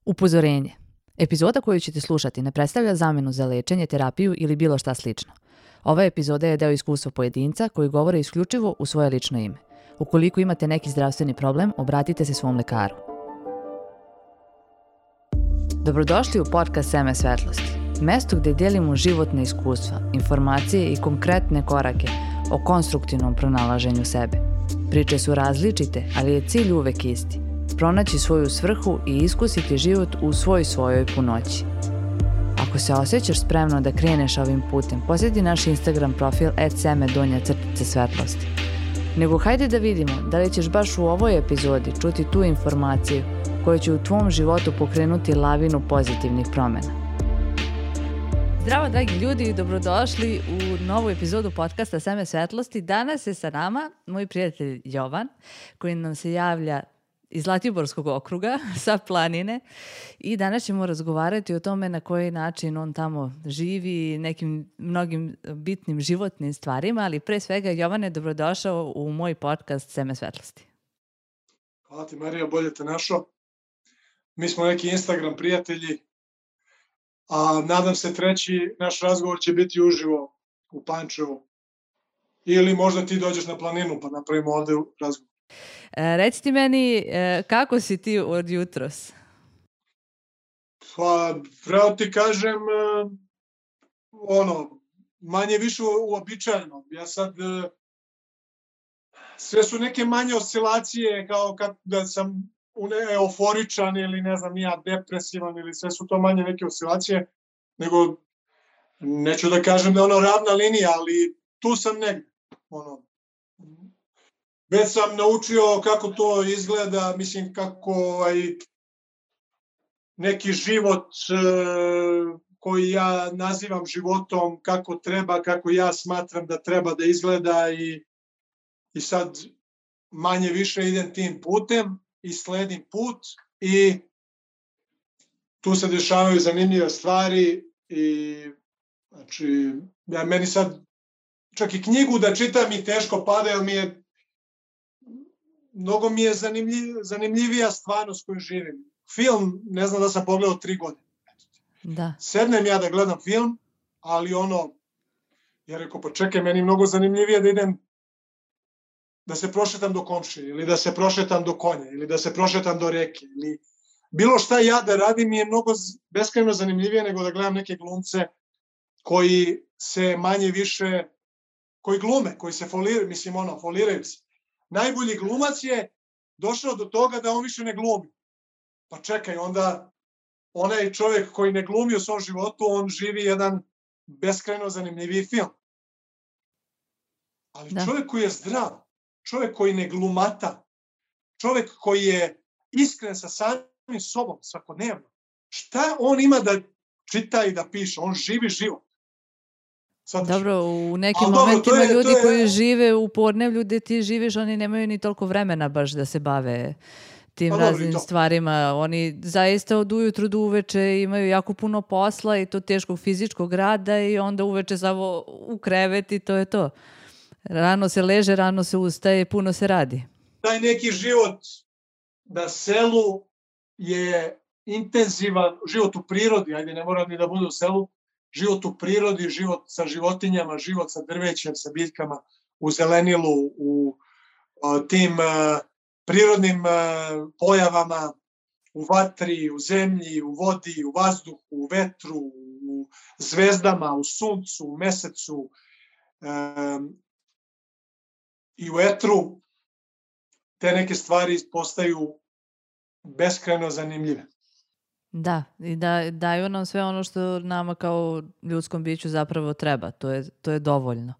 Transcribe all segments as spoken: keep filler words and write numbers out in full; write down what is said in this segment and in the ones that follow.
Upozorenje. Epizoda koju ćete slušati ne predstavlja zamjenu za lečenje, terapiju ili bilo šta slično. Ova epizoda je deo iskustva pojedinca koji govore isključivo u svoje lično ime. Ukoliko imate neki zdravstveni problem, obratite se svom lekaru. Dobrodošli u podcast Seme svetlosti. Mesto gdje dijelimo životne iskustva, informacije i konkretne korake o konstruktivnom pronalaženju sebe. Priče su različite, ali je cilj uvek isti. Pronaći svoju svrhu i iskusiti život u svoj svojoj punoći. Ako se osjećaš spremno da kreneš ovim putem, posjeti naš Instagram profil et seme donja crtica svetlosti. Nego hajde da vidimo da li ćeš baš u ovoj epizodi čuti tu informaciju koja će u tvom životu pokrenuti lavinu pozitivnih promjena. Zdravo dragi ljudi i dobrodošli u novu epizodu podcasta Seme svetlosti. Danas je sa nama moj prijatelj Jovan koji nam se javlja iz Zlatiborskog okruga, sa planine, i danas ćemo razgovarati o tome na koji način on tamo živi, nekim mnogim bitnim životnim stvarima, ali pre svega Jovane, dobrodošao u moj podcast Seme svetlosti. Hvala ti Marija, bolje te našao. Mi smo neki Instagram prijatelji, a nadam se treći naš razgovor će biti uživo u Pančevu. Ili možda ti dođeš na planinu pa napravimo ovde razgovor. E, reci ti meni, e, kako si ti od jutros? Pa, pravo ti kažem, e, ono, manje više uobičajeno. Ja sad, e, sve su neke manje oscilacije, kao kad da sam euforičan ili ne znam, ja depresivan, ili sve su to manje neke oscilacije, nego, neću da kažem da je ono ravna linija, ali tu sam negdje, ono, već sam naučio kako to izgleda, mislim kako ovaj, neki život e, koji ja nazivam životom, kako treba, kako ja smatram da treba da izgleda i, i sad manje više idem tim putem i sledim put i tu se dešavaju zanimljive stvari i znači, ja meni sad čak i knjigu da čitam i teško pada, jer mi je mnogo mi je zanimljiv, zanimljivija stvarnost koju živim. Film, ne znam da sam pogledao tri godine. Da. Sednem ja da gledam film, ali ono, ja rekao, pa čekaj, meni je mnogo zanimljivije da idem, da se prošetam do komšije, ili da se prošetam do konja, ili da se prošetam do reke, ili bilo šta ja da radim mi je mnogo beskrajno zanimljivije nego da gledam neke glumce koji se manje više, koji glume, koji se foliraju, mislim ono, foliraju se. Najbolji glumac je došao do toga da on više ne glumi. Pa čekaj, onda onaj čovjek koji ne glumi u svom životu, on živi jedan beskrajno zanimljiviji film. Ali da. Čovjek koji je zdrav, čovjek koji ne glumata, čovjek koji je iskren sa samim sobom svakodnevno, šta on ima da čita i da piše? On živi život. Sad, dobro, u nekim dobro, momentima je, ljudi je... koji žive u podneblju gdje ti živiš, oni nemaju ni toliko vremena baš da se bave tim pa, raznim dobro, stvarima. Oni zaista od ujutru do uveče imaju jako puno posla i to teškog fizičkog rada i onda uveče samo u krevet i to je to. Rano se leže, rano se ustaje, puno se radi. Taj neki život na selu je intenzivan, život u prirodi, ajde ne mora ni da bude u selu, život u prirodi, život sa životinjama, život sa drvećem, sa biljkama, u zelenilu, u o, tim uh, prirodnim uh, pojavama, u vatri, u zemlji, u vodi, u vazduhu, u vetru, u zvezdama, u suncu, u mesecu um, i u etru, te neke stvari postaju beskrajno zanimljive. Da, i da, daju nam sve ono što nama kao ljudskom biću zapravo treba. To je, to je dovoljno.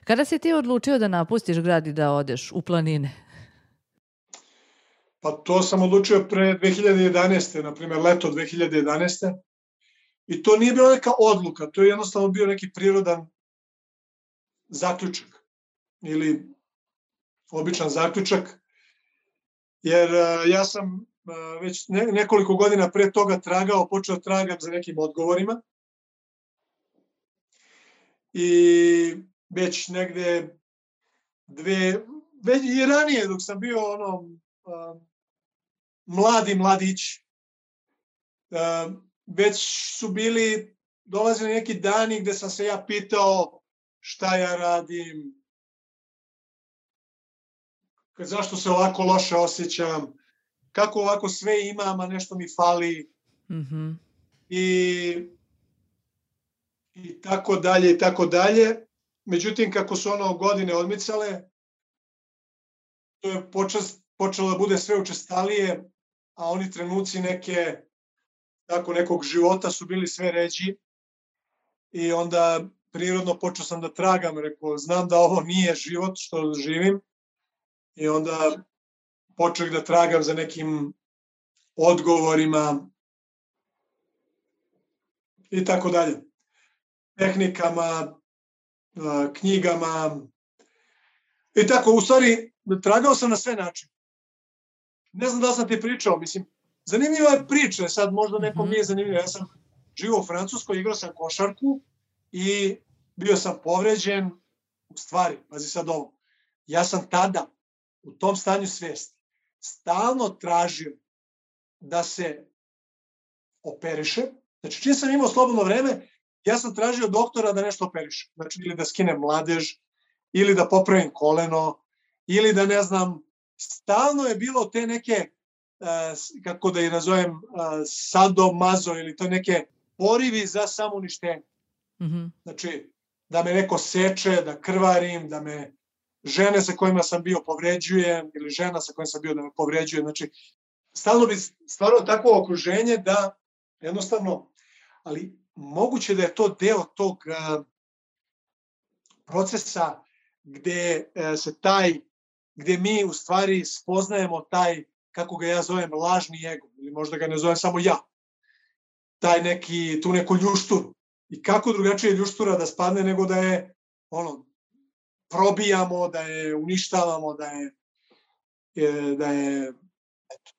Kada si ti odlučio da napustiš grad i da odeš u planine? Pa to sam odlučio pre dve hiljade jedanaeste. Na primjer leto dve hiljade jedanaeste. I to nije bila neka odluka, to je jednostavno bio neki prirodan zaključak. Ili običan zaključak. Jer uh, ja sam već nekoliko godina pre toga tragao, počeo tragam za nekim odgovorima. I već negde dve, već i ranije dok sam bio ono, mladi mladić, već su bili, dolazili neki dani gde sam se ja pitao šta ja radim, zašto se ovako loše osjećam, kako ovako sve imam, a nešto mi fali. Mhm. I, i tako dalje, i tako dalje. Međutim, kako su ono godine odmicale, to je počas, počelo da bude sve učestalije, a oni trenuci neke, tako nekog života su bili sve ređi. I onda prirodno počeo sam da tragam, rekao, znam da ovo nije život što živim. I onda počeo da tragam za nekim odgovorima i tako dalje. Tehnikama, knjigama. I tako, u stvari, tragao sam na sve načine. Ne znam da li sam ti pričao, mislim, zanimljiva je priča, sad možda nekom nije zanimljivo. Ja sam živio u Francuskoj, igrao sam košarku i bio sam povređen. U stvari, pazi sad ovo, ja sam tada, u tom stanju svesti, stalno tražio da se operiše. Znači, čim sam imao slobodno vreme, ja sam tražio doktora da nešto operiše. Znači, ili da skinem mladež, ili da popravim koleno, ili da, ne znam, stalno je bilo te neke, kako da ih nazovem, sadomazo, ili to neke porivi za samouništenje. Mm-hmm. Znači, da me neko seče, da krvarim, da me žene sa kojima sam bio povređujem, ili žena sa kojima sam bio da me povređuje. Znači, stalno bi stvarno takvo okruženje da jednostavno, ali moguće da je to deo tog uh, procesa gde uh, se taj, gde mi u stvari spoznajemo taj, kako ga ja zovem, lažni ego, ili možda ga ne zovem samo ja, taj neki, tu neku ljušturu. I kako drugačije ljuštura da spadne nego da je, ono, probijamo, da je uništavamo, da je, je da je, eto.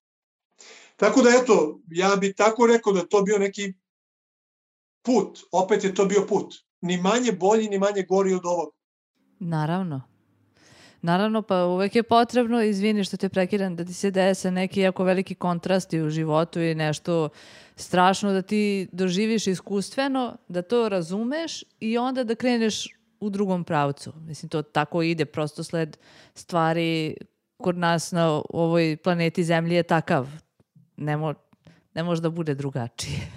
Tako da, eto, ja bi tako rekao da to bio neki put, opet je to bio put. Ni manje bolji, ni manje gori od ovog. Naravno. Naravno, pa uvek je potrebno, izvini što te prekidam, da ti se dese neki jako veliki kontrasti u životu i nešto strašno da ti doživiš iskustveno, da to razumeš i onda da kreneš u drugom pravcu. Mislim, to tako ide, prosto sled stvari kod nas na ovoj planeti Zemlji je takav. Ne, mo, ne može da bude drugačije.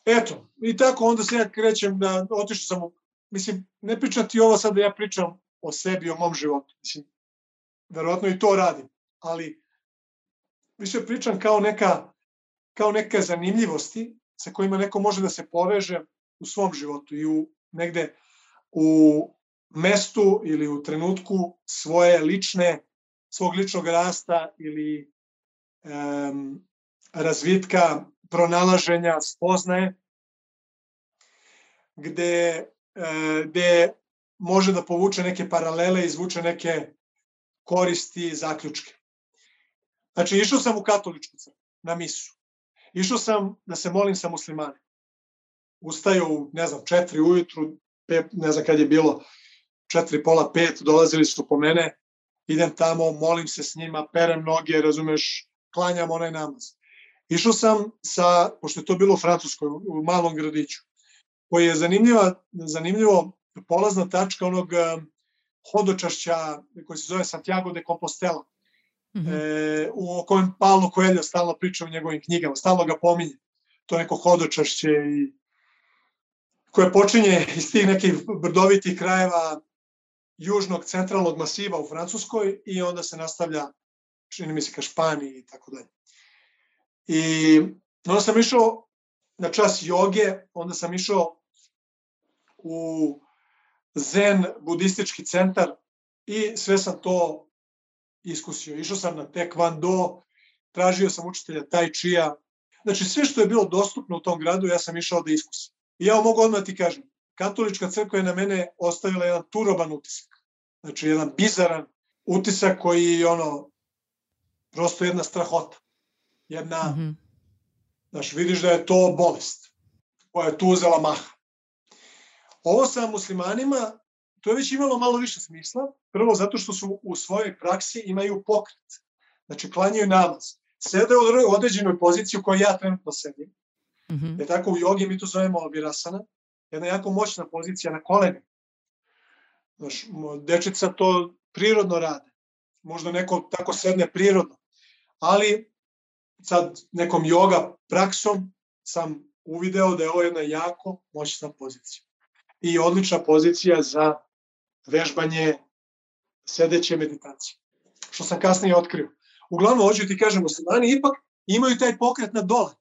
Eto, i tako onda se ja krećem da otišao sam u, mislim, ne pričam ti ovo sad da ja pričam o sebi, o mom životu. Mislim, verovatno i to radim, ali više pričam kao neka, kao neke zanimljivosti sa kojima neko može da se poveže u svom životu i u negde u mestu ili u trenutku svoje lične, svog ličnog rasta ili um, razvitka, pronalaženja, spoznaje, gde, gde može da povuče neke paralele, izvuče neke koristi i zaključke. Znači, išao sam u katoličku crkvu, na misu. Išao sam da se molim sa muslimanima. Ustaju u, ne znam, četiri ujutru, pet, ne znam kad je bilo, četiri, pola, pet, dolazili su po mene, idem tamo, molim se s njima, perem noge, razumeš, klanjam onaj namaz. Išao sam sa, pošto je to bilo u Francuskoj, u malom gradiću, koji je zanimljiva, zanimljivo polazna tačka onog um, hodočašća koji se zove Santiago de Compostela, mm-hmm. e, u kojem Paulo Coelho stalno priča u njegovim knjigama, stalno ga pominje. To neko hodočašće i koje počinje iz tih nekih brdovitih krajeva južnog centralnog masiva u Francuskoj i onda se nastavlja, čini mi se, ka Španiji i tako dalje. I onda sam išao na čas joge, onda sam išao u zen budistički centar i sve sam to iskusio. Išao sam na taekwondo, tražio sam učitelja tai chia. Znači sve što je bilo dostupno u tom gradu ja sam išao da iskusim. I ja mogu odmah ti kažem, katolička crkva je na mene ostavila jedan turoban utisak. Znači jedan bizaran utisak koji je ono, prosto jedna strahota. Jedna, mm-hmm. Znaš, vidiš da je to bolest koja je tu uzela maha. Ovo sa muslimanima, to je već imalo malo više smisla. Prvo zato što su u svojoj praksi imaju pokret. Znači, klanjaju namaz. sede u određenoj poziciji u kojoj ja trenutno sedim. Mhm. Je tako u jogi mi to zovemo virasana. Jedna jako moćna pozicija na koleni. Znaš, dečica to prirodno rade. Možda neko tako sedne prirodno. Ali sad nekom joga praksom sam uvideo da je ovo jedna jako moćna pozicija. I odlična pozicija za vežbanje sedeće meditacije. Što sam kasnije otkrio. Uglavnom, hoću ti kažem, muslimani ipak imaju taj pokret na dole.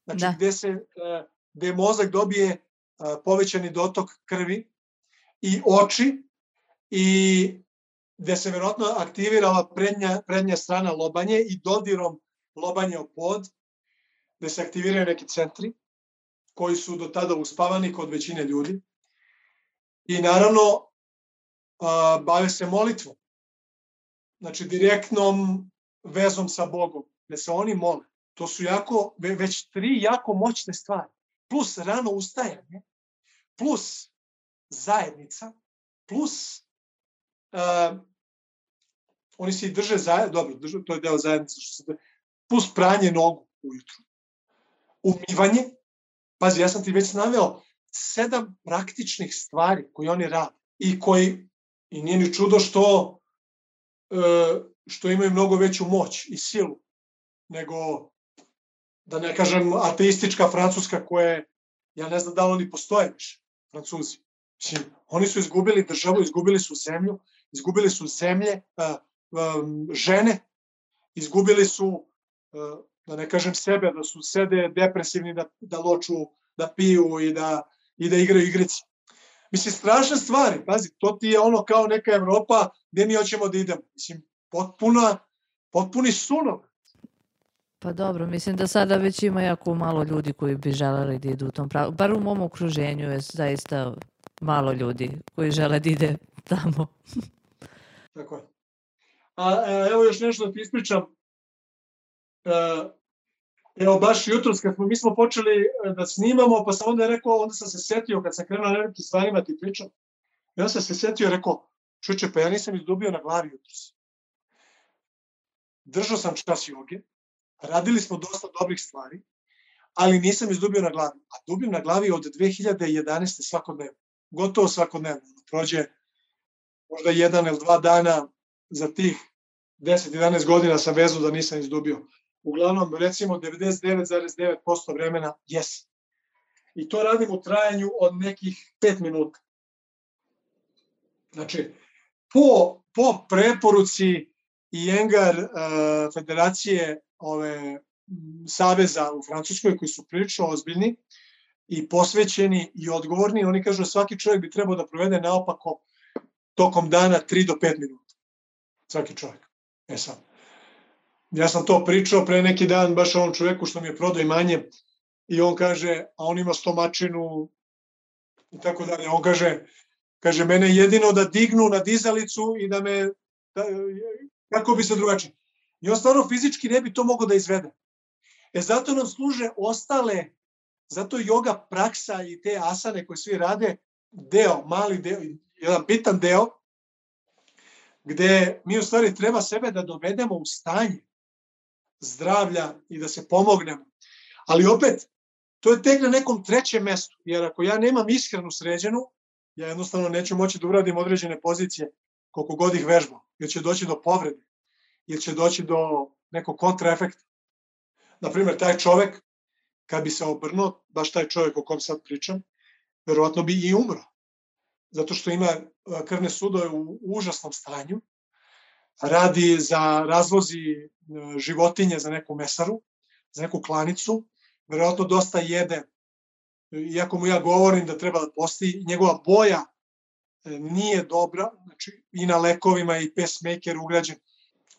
Znači, Da. gde, se, gde mozak dobije povećani dotok krvi i oči i gde se verovatno aktivirala prednja, prednja strana lobanje i dodirom lobanje o pod, gde se aktiviraju neki centri koji su do tada uspavani kod većine ljudi. I naravno, a, bave se molitvom. Znači, direktnom vezom sa Bogom, gde se oni mole. To su jako, već tri jako moćne stvari. Plus rano ustajanje, plus zajednica, plus uh, oni se i drže zajedno, dobro, drže, to je deo zajednice, što se, plus pranje nogu ujutru. Umivanje, pazi, ja sam ti već naveo sedam praktičnih stvari koje oni rade i koji, i nije ni čudo što, uh, što imaju mnogo veću moć i silu nego, da ne kažem, ateistička Francuska koja je, ja ne znam da li oni postoje više, Francuzi. Mislim, oni su izgubili državu, izgubili su zemlju, izgubili su zemlje, uh, um, žene, izgubili su, uh, da ne kažem sebe, da su sede depresivni, da, da loču, da piju i da, i da igraju igrice. Mislim, strašne stvari, pazi, to ti je ono kao neka Evropa gde mi hoćemo da idemo. Mislim, potpuna, potpuni sunov. Pa dobro, mislim da sada već ima jako malo ljudi koji bi želeli da idu u tom pravu. Bar u mom okruženju je zaista malo ljudi koji žele da ide tamo. Tako je. A evo još nešto da ti ispričam. Evo baš jutros kad smo, mi smo počeli da snimamo, pa sam onda rekao, onda sam se setio, kad sam krenuo na nekim stvarima ti pričam, i onda sam se setio i rekao, čuče, pa ja nisam izdubio na glavi jutros. Držao sam čas joge, radili smo dosta dobrih stvari, ali nisam izdubio na glavi. A dubim na glavi od dve hiljade jedanaeste svakodnevno. Gotovo svakodnevno. Prođe možda jedan ili dva dana za tih deset do jedanaest godina sam vezu da nisam izdubio. Uglavnom, recimo, devedeset devet zarez devet posto vremena jesam. I to radim u trajanju od nekih pet minuta. Znači, po, po preporuci Iyengar uh, federacije ove saveza u Francuskoj, koji su prilično ozbiljni i posvećeni i odgovorni, oni kažu da svaki čovjek bi trebao da provede naopako tokom dana tri do pet minuta. Svaki čovjek. E sad, ja sam to pričao pre neki dan baš ovom čovjeku što mi je prodao imanje i on kaže, a on ima stomačinu i tako dalje, on kaže, kaže, mene jedino da dignu na dizalicu i da me, da, kako bi se drugačije. I on stvarno fizički ne bi to mogao da izvede. E zato nam služe ostale, zato yoga praksa i te asane koje svi rade, deo, mali deo, jedan bitan deo, gde mi u stvari treba sebe da dovedemo u stanje zdravlja i da se pomognemo. Ali opet, to je tek na nekom trećem mestu, jer ako ja nemam ishranu sređenu, ja jednostavno neću moći da uradim određene pozicije koliko god ih vežbam, jer će doći do povrede, jer će doći do nekog kontraefekta. Naprimer, taj čovek, kad bi se obrnuo, baš taj čovek o kom sad pričam, verovatno bi i umro, zato što ima krvne sudove u užasnom stanju, radi za razvozi životinje za neku mesaru, za neku klanicu, verovatno dosta jede, iako mu ja govorim da treba da posti, njegova boja nije dobra, znači i na lekovima i pacemaker ugrađen.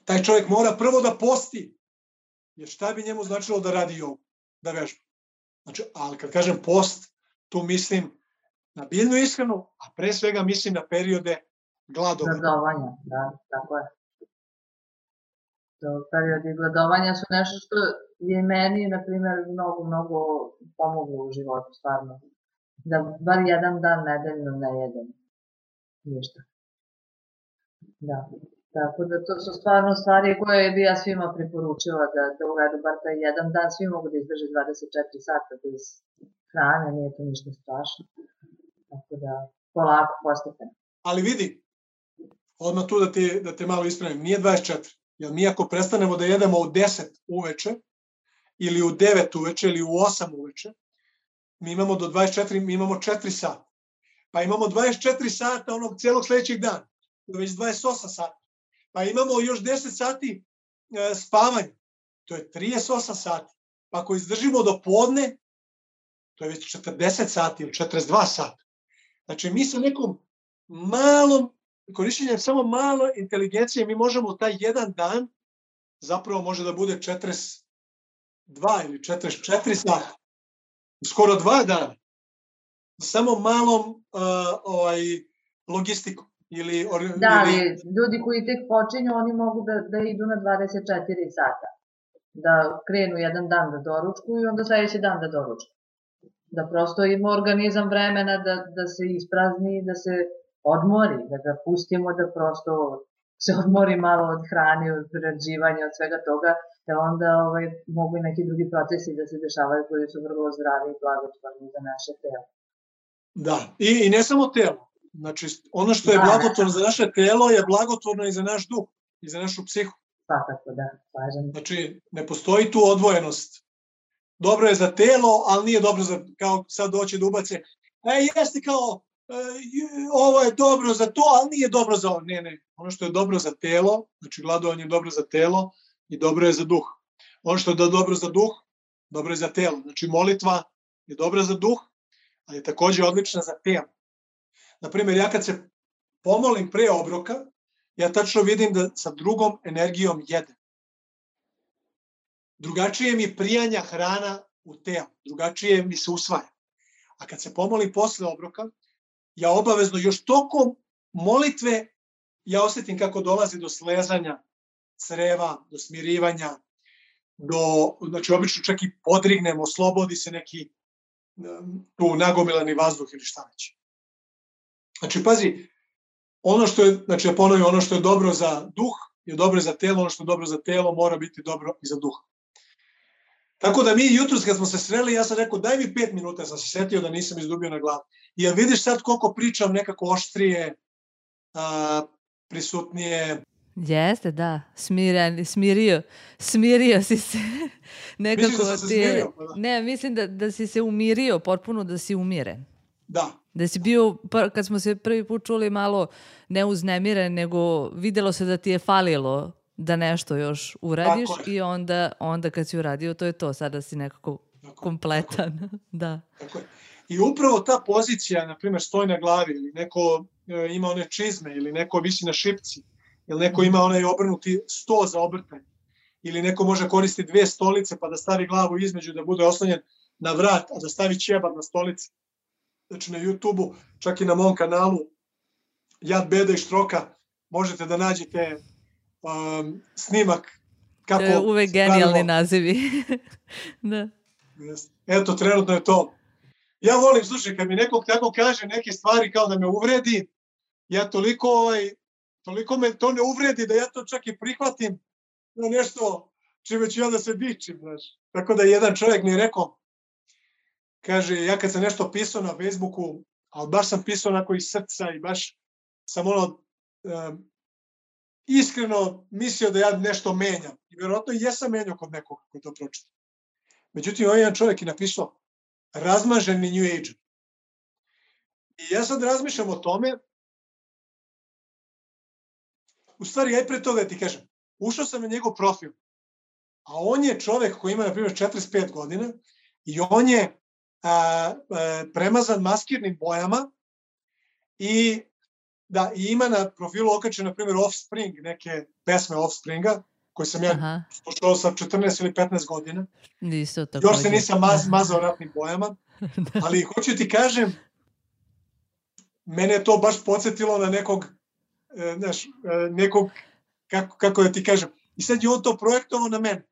Taj čovjek mora prvo da posti, jer šta bi njemu značilo da radi jogu, da vežba. Znači, ali kad kažem post, tu mislim na biljnu ishranu, a pre svega mislim na periode gladovanja. Gladovanja, da, tako je. To periodi gladovanja su nešto što je meni, na primjer, mnogo, mnogo pomoglo u životu, stvarno. Da bar jedan dan nedeljno ne jedem ništa. Da. Tako da to su stvarno stvari koje bi ja svima preporučila da, da uvedu bar taj jedan dan. Svi mogu da izdrže dvadeset četiri sata bez hrane, nije to ništa strašno. Tako da polako, postepeno. Ali vidi, odmah tu da te, da te malo ispravim, nije dvadeset četiri. Jer mi ako prestanemo da jedemo u deset uveče, ili u devet uveče, ili u osam uveče, mi imamo do dvadeset četiri, mi imamo četiri sata. Pa imamo dvadeset četiri sata onog celog sledećeg dana, već dvadeset osam sata. Pa imamo još deset sati e, spavanja, to je trideset osam sati. Pa ako izdržimo do podne, to je već četrdeset sati ili četrdeset dva sata. Znači mi sa nekom malom, korišćenjem samo malo inteligencije, mi možemo taj jedan dan, zapravo može da bude četrdeset dva ili četrdeset četiri sata, skoro dva dana, samo malom uh, ovaj, logistikom. Ili, or, da, ali ili... ljudi koji tek počinju, oni mogu da, da idu na dvadeset četiri sata. Da krenu jedan dan da doručkuju i onda sledeći dan da doručkuju. Da prosto ima organizam vremena da, da se isprazni, da se odmori, da ga pustimo da prosto se odmori malo od hrane, od prerađivanja, od svega toga, da onda ovaj, mogu i neki drugi procesi da se dešavaju koji su vrlo zdravi i blagotvorni za naše telo. Da, i, i ne samo telo. Znači, ono što je da, blagotvorno za naše telo je blagotvorno i za naš duh, i za našu psihu. Svakako, da, slažem. Znači, ne postoji tu odvojenost. Dobro je za telo, ali nije dobro za, kao sad doći da ubace, e, jeste kao, e, ovo je dobro za to, ali nije dobro za ovo. Ne, ne, ono što je dobro za telo, znači gladovanje je dobro za telo i dobro je za duh. Ono što je dobro za duh, dobro je za telo. Znači, molitva je dobra za duh, ali je takođe odlična za telo. Naprimjer, ja kad se pomolim pre obroka, ja tačno vidim da sa drugom energijom jedem. Drugačije mi prijanja hrana u telo, drugačije mi se usvaja. A kad se pomolim posle obroka, ja obavezno još tokom molitve ja osetim kako dolazi do slezanja creva, do smirivanja, do, znači obično čak i podrignem, oslobodi se neki tu nagomilani vazduh ili šta već. Znači, pazi, ono što je, znači ja ponovim, ono što je dobro za duh je dobro za telo, ono što je dobro za telo mora biti dobro i za duh. Tako da mi jutros kad smo se sreli, ja sam rekao daj mi pet minuta, sam se setio da nisam izdubio na glavu. I ja vidiš sad koliko pričam nekako oštrije, a, prisutnije. Jeste, da, smiren, smirio, smirio si se. Nekako Misliš da sam se ti je, smirio? Pa da. Ne, mislim da, da si se umirio, potpuno da si umiren. Da. Da si bio, kad smo se prvi put čuli, malo ne uznemiren, nego videlo se da ti je falilo da nešto još uradiš i onda, onda kad si uradio, to je to, sada si nekako tako, kompletan. Tako. Da. Tako je. I upravo ta pozicija, na primjer, stoji na glavi, ili neko e, ima one čizme, ili neko visi na šipci, ili neko ima onaj obrnuti sto za obrtanje, ili neko može koristiti dve stolice pa da stavi glavu između da bude oslonjen na vrat, a da stavi ćebad na stolici. Znači na YouTube-u, čak i na mom kanalu Jad, beda i štroka, možete da nađete um, snimak kako... To je uvek genijalni nazivi. Da. Eto, trenutno je to. Ja volim, slušaj, kad mi neko tako kaže neke stvari kao da me uvredi, ja toliko, ovaj, toliko me to ne uvredi da ja to čak i prihvatim na nešto čime ću ja da se dičim, znaš. Tako da jedan čovjek mi je rekao, kaže, ja kad sam nešto pisao na Facebooku, ali baš sam pisao onako iz srca i baš sam ono um, iskreno mislio da ja nešto menjam. I vjerojatno i jesam menjao kod nekoga koji to pročita. Međutim, ovaj jedan čovjek je napisao razmaženi New Age. I ja sad razmišljam o tome, u stvari, ja i pre toga ti kažem, ušao sam na njegov profil, a on je čovjek koji ima, na primjer, četrdeset pet godina i on je a, a, premazan maskirnim bojama i da i ima na profilu okačen, na primjer, Offspring, neke pesme Offspringa, koje sam ja Aha. slušao sa četrnaest ili petnaest godina. Isto tako. Još se nisam maz, mazao ratnim bojama, ali hoću ti kažem, mene je to baš podsjetilo na nekog, znaš, nekog, kako, kako da ti kažem, i sad je on to projektovao na mene.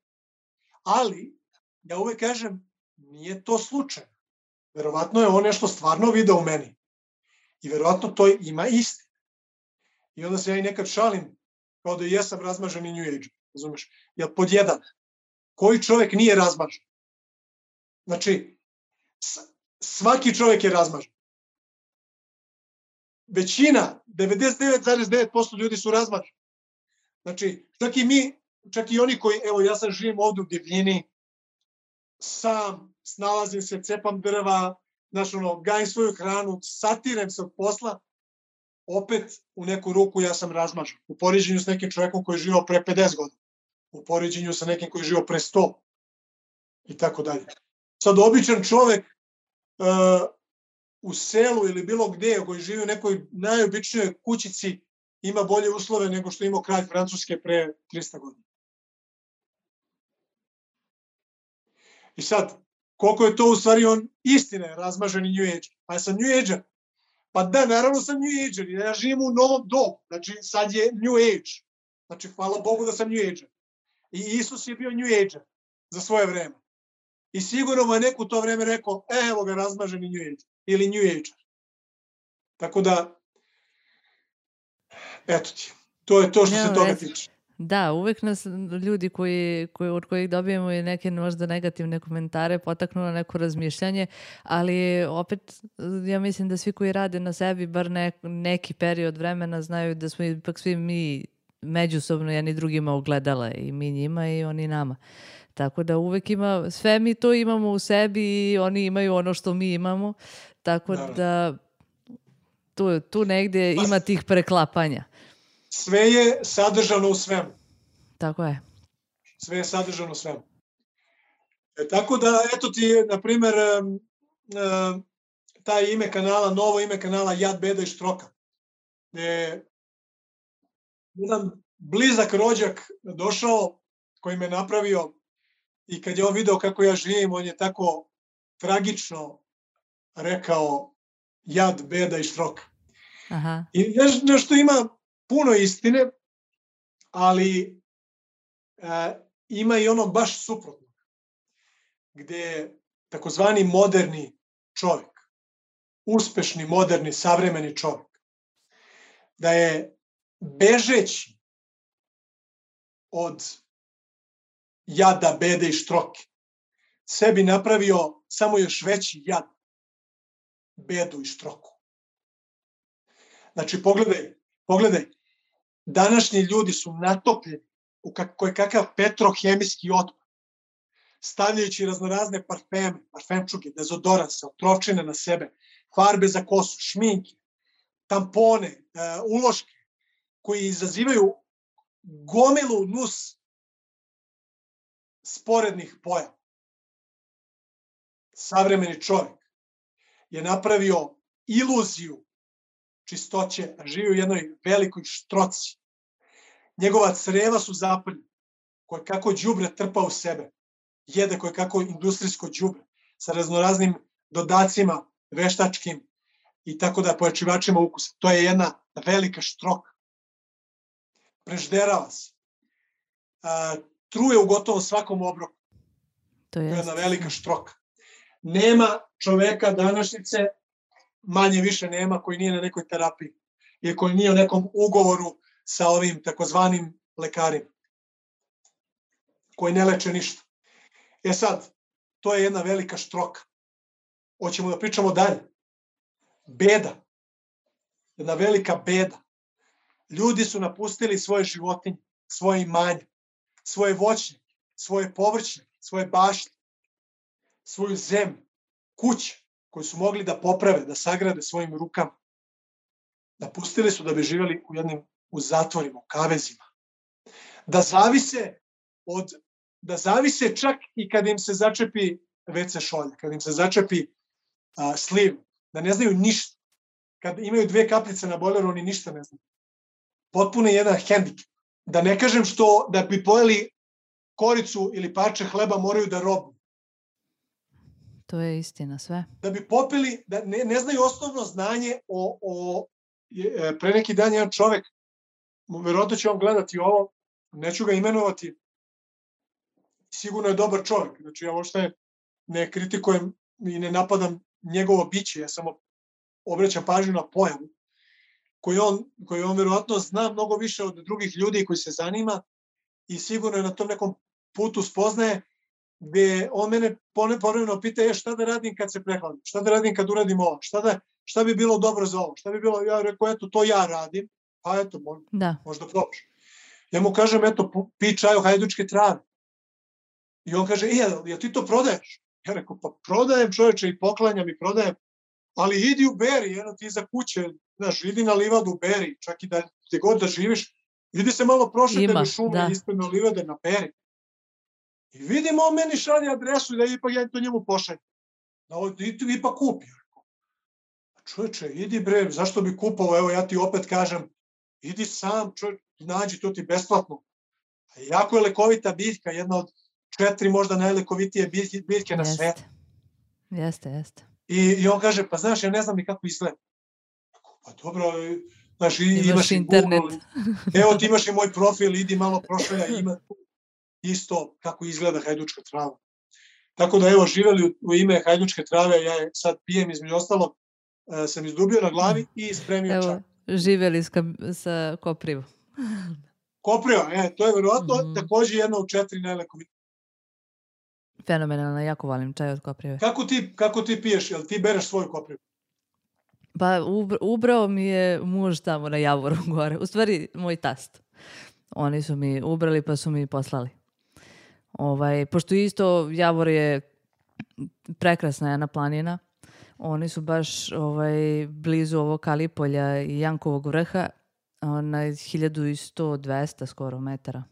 Ali, ja uvek kažem, nije to slučajno. Verovatno je on nešto stvarno video u meni. I verovatno to ima istine. I onda se ja i nekad šalim, kao da jesam razmaženi New Age, razumeš? Jer pod jedan, koji čovjek nije razmažen? Znači, svaki čovjek je razmažen. Većina, devedeset devet zarez devet posto ljudi su razmaženi. Znači, čak i mi, čak i oni koji, evo ja sad živim ovdje u divljini, sam, snalazim se, cepam drva, znaš ono, gajim svoju hranu, satirem se od posla, opet u neku ruku ja sam razmažen. U poređenju s nekim čovjekom koji je živio pre pedeset godina. U poređenju sa nekim koji je živio pre sto. I tako dalje. Sad običan čovjek uh, u selu ili bilo gdje koji živi u nekoj najobičnijoj kućici ima bolje uslove nego što imao kralj Francuske pre trista godina. I sad, koliko je to u stvari on istine razmaženi New Age. Pa ja sam New Age. Pa da, naravno sam New Age. Ja živim u novom dobu. Znači, sad je New Age. Znači, hvala Bogu da sam New Age. I Isus je bio New Age za svoje vreme. I sigurno mu je neko u to vreme rekao, e, evo ga razmaženi New Age. Ili New Age. Tako da, eto ti. To je to što se toga tiče. Da, uvek nas ljudi koji, koji, od kojih dobijemo i neke možda negativne komentare potaknu na neko razmišljanje, ali opet ja mislim da svi koji rade na sebi bar ne, neki period vremena znaju da smo ipak svi mi međusobno jedni drugima ogledala i mi njima i oni nama. Tako da uvek ima, sve mi to imamo u sebi i oni imaju ono što mi imamo, tako da, da tu, tu negdje ima tih preklapanja. Sve je sadržano u svemu. Tako je. Sve je sadržano u svemu. E, tako da, eto ti, na primjer, um, um, taj ime kanala, novo ime kanala Jad, beda i štroka. E, jedan blizak rođak došao koji me napravio i kad je on video kako ja živim, on je tako tragično rekao jad, beda i štroka. Aha. I neš, nešto ima puno istine, ali e, ima i ono baš suprotno, gde takozvani moderni čovjek, uspešni, moderni, savremeni čovjek, da je bežeći od jada, bede i štroke, sebi napravio samo još veći jad, bedu i štroku. Znači, pogledaj, pogledaj, današnji ljudi su natopljeni u koji kakav petrohemijski otpad, stavljajući raznorazne parfeme, parfemčuge, dezodoranse, otrovčine na sebe, farbe za kosu, šminke, tampone, uloške, koji izazivaju gomilu nus sporednih pojava. Savremeni čovjek je napravio iluziju čistoće, a živi u jednoj velikoj štroci. Njegova creva su zaprljena, koje kako đubre trpa u sebe, jede koje kako industrijsko đubre, sa raznoraznim dodacima, veštačkim i tako da pojačivačima ukusa. To je jedna velika štroka. Prežderava se. A, truje u gotovo svakom obroku. To je jedna velika štroka. Nema čoveka današnjice, manje više nema, koji nije na nekoj terapiji ili koji nije u nekom ugovoru sa ovim takozvanim lekarima, koji ne leče ništa. E sad, to je jedna velika štroka. Hoćemo da pričamo dalje. Beda. Jedna velika beda. Ljudi su napustili svoje životinje, svoje imanje, svoje voćnjake, svoje povrćnjake, svoje bašte, svoju zemlju, kuće koju su mogli da poprave, da sagrade svojim rukama. Napustili su da bi živjeli u jednim u zatvorima, u kavezima. Da zavise od da zavise čak i kad im se začepi ve ce šolja, kad im se začepi a, sliv, da ne znaju ništa. Kad imaju dve kapljice na bojleru, oni ništa ne znaju. Potpuno je jedan hendikep. Da ne kažem što da bi pojeli koricu ili parče hleba moraju da robu. To je istina, sve. Da bi popili, da ne, ne znaju osnovno znanje o, o pre neki dan jedan čovek, verovatno će on gledati ovo, neću ga imenovati, sigurno je dobar čovjek, znači ja uopšte ne kritikujem i ne napadam njegovo biće, ja samo obraćam pažnju na pojavu. koji on, koji on verovatno zna mnogo više od drugih ljudi koji se zanima i sigurno je na tom nekom putu spoznaje, gde on mene povremeno pita je šta da radim kad se prehladim, šta da radim kad uradim ovo, šta, da, šta bi bilo dobro za ovo, šta bi bilo, ja rekao, eto, to ja radim, pa eto, možda, da. možda probaš. Ja mu kažem, eto, pi čaj o hajdučke trave. I on kaže, e, ja ti to prodaješ? Ja rekao, pa prodajem čoveče i poklanjam i prodajem, ali idi u beri, eno ti iza kuće, znaš, idi na livadu u beri, čak i da gde god da živiš, idi se malo prošetaj u šume ispred na livade na beri. I vidimo, on meni šalje adresu i da ipak ja to njemu pošaljem. Da ti ipak kupi. Čoveče, idi bre, zašto bi kupao, evo ja ti opet kažem, idi sam, čovječ, nađi to ti besplatno. Jako je lekovita biljka, jedna od četiri možda najlekovitije biljke, biljke na svetu. Jeste, jeste. I, I on kaže, pa znaš, ja ne znam ni kako izgleda. Pa dobro, znaš, imaš, imaš internet. Google, evo ti imaš i moj profil, idi malo prošalja, ima isto kako izgleda hajdučka trava. Tako da evo, živeli u ime hajdučke trave, ja je sad pijem između ostalo, sam izdubio na glavi i spremio evo, čak. Živeli sa, sa koprivom. Kopriva, e, to je verovatno mm. također jedna od četiri najlekovitije. Fenomenalno, jako volim čaj od koprive. Kako ti, kako ti piješ? Jel ti bereš svoju koprivu? Pa ubrao mi je muž tamo na Javoru gore. U stvari, moj tast. Oni su mi ubrali pa su mi poslali. Ovaj, pošto isto Javor je prekrasna jedna planina. Oni su baš ovaj, blizu ovog Kalipolja i Jankovog vrha na hiljadu sto dvesta skoro metara.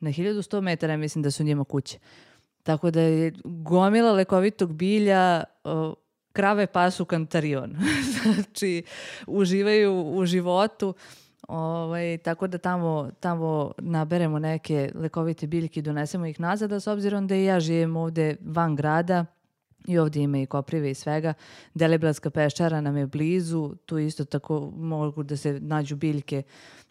Na hiljadu sto metara mislim da su njima kuće. Tako da je gomila lekovitog bilja, o, krave pasu kantarion. Znači, uživaju u životu. Ovaj, tako da tamo, tamo naberemo neke lekovite biljke i donesemo ih nazad, a s obzirom da i ja živim ovde van grada i ovdje ima i koprive i svega, Deliblatska peščara nam je blizu, tu isto tako mogu da se nađu biljke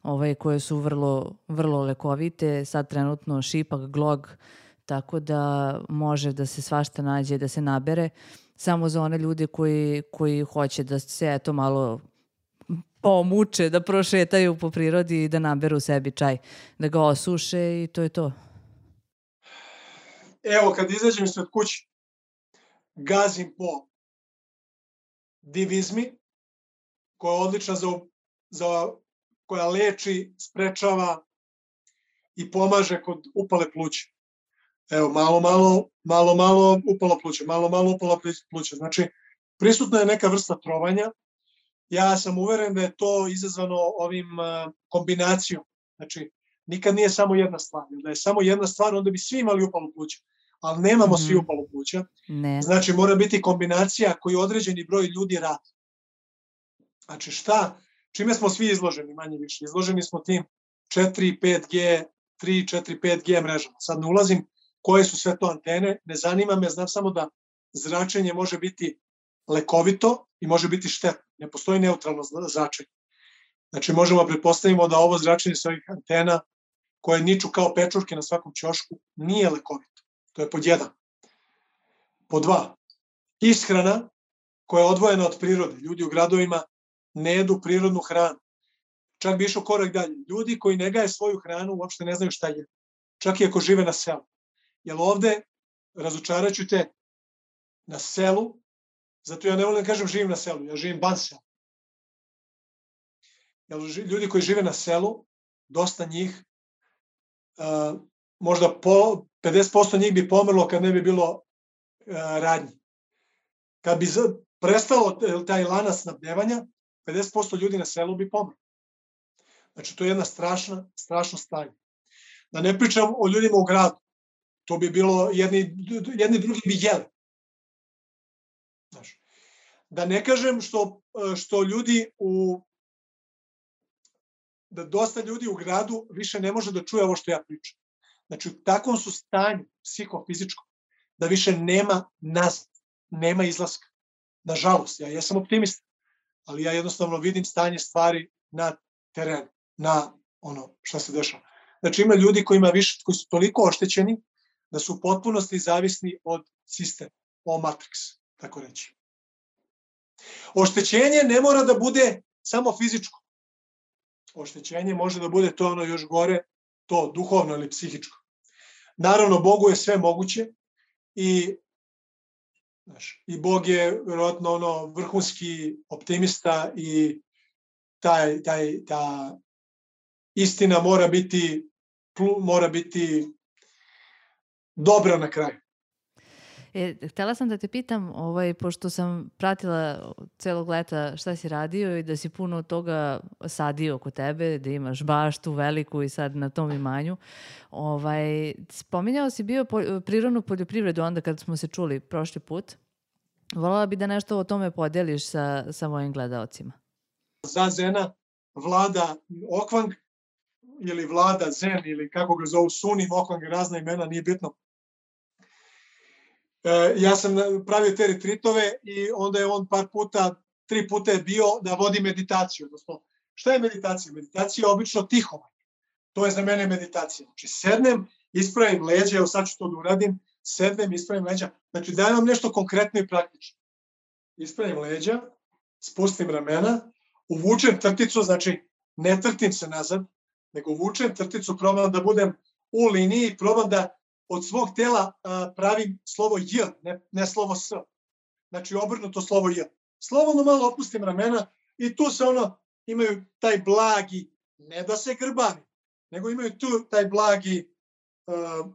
ovaj, koje su vrlo, vrlo lekovite, sad trenutno šipak, glog, tako da može da se svašta nađe, da se nabere, samo za one ljude koji, koji hoće da se eto malo pomuče, da prošetaju po prirodi i da naberu sebi čaj, da ga osuše i to je to. Evo, kad izađem ispred kuće, gazim po divizmi, koja je odlična za, za, koja leči, sprečava i pomaže kod upale pluća. Evo, malo, malo, malo, malo upalo pluća, malo, malo upalo pluća. Znači, prisutna je neka vrsta trovanja. Ja sam uveren da je to izazvano ovim kombinacijom. Znači, nikad nije samo jedna stvar. Da je samo jedna stvar, onda bi svi imali upalo pluća. Ali nemamo mm-hmm. svi upalo pluća. Ne. Znači, mora biti kombinacija koju određeni broj ljudi radi. Znači, šta? Čime smo svi izloženi, manje više? Izloženi smo tim četiri, pet G, tri, četiri, pet G mrežama. Sad ne ulazim koje su sve to antene, ne zanima me, znam samo da zračenje može biti lekovito i može biti štetno. Ne postoji neutralno zračenje. Znači, možemo pretpostavimo da ovo zračenje sa ovih antena, koje niču kao pečurke na svakom ćošku, nije lekovito. To je pod jedan. Pod dva, ishrana koja je odvojena od prirode. Ljudi u gradovima ne jedu prirodnu hranu. Čak bi išao korak dalje. Ljudi koji ne gaje svoju hranu uopšte ne znaju šta je. Čak i ako žive na selu. Jer ovde, razočarat ću te, na selu, zato ja ne volim da kažem živim na selu, ja živim ban selu. Jer ljudi koji žive na selu, dosta njih, uh, možda po, pedeset posto njih bi pomrlo kad ne bi bilo uh, radnji. Kad bi prestalo taj lanac snabdevanja, pedeset posto ljudi na selu bi pomrlo. Znači, to je jedna strašna, strašno stanje. Da ne pričam o ljudima u gradu. To bi bilo, jedni, jedni drugi bi jeli. Znaš. Da ne kažem što, što ljudi u, da dosta ljudi u gradu više ne može da čuje ovo što ja pričam. Znači, u takvom su stanju psihofizičkom da više nema nazad, nema izlaska. Nažalost, ja jesam optimista, ali ja jednostavno vidim stanje stvari na terenu, na ono što se dešava. Znači, ima ljudi kojima više, koji su toliko oštećeni da su u potpunosti zavisni od sistema, o Matrix, tako reći. Oštećenje ne mora da bude samo fizičko. oštećenje, može da bude to ono još gore, to duhovno ili psihičko. Naravno, Bogu je sve moguće i, znaš, i Bog je vjerojatno ono vrhunski optimista i taj, taj, ta istina mora biti, mora biti dobra na kraju. E, htjela sam da te pitam, ovaj, pošto sam pratila celog leta šta si radio i da si puno toga sadio kod tebe, da imaš baštu veliku i sad na tom imanju. Ovaj, spominjao si bio po, prirodnu poljoprivredu onda kad smo se čuli prošli put. Voljela bi da nešto o tome podeliš sa, sa mojim gledaocima. Za Zena vlada Okvang ili vlada Zen ili kako ga zovu Sunim, Okvang, razna imena, nije bitno. Ja sam pravio te retritove i onda je on par puta, tri puta je bio da vodi meditaciju. Odnosno, šta je meditacija? Meditacija je obično tihovanje. To je za mene meditacija. Znači, sednem, ispravim leđa, evo sad ću to da uradim, sednem, ispravim leđa. Znači, dajem vam nešto konkretno i praktično. Ispravim leđa, spustim ramena, uvučem trticu, znači, ne trtim se nazad, nego uvučem trticu, probam da budem u liniji, probam da od svog tela uh, pravim slovo J, ne, ne slovo S. Znači obrnuto slovo J. Slobodno malo opustim ramena i tu se ono, imaju taj blagi, ne da se grbavim, nego imaju tu taj blagi uh,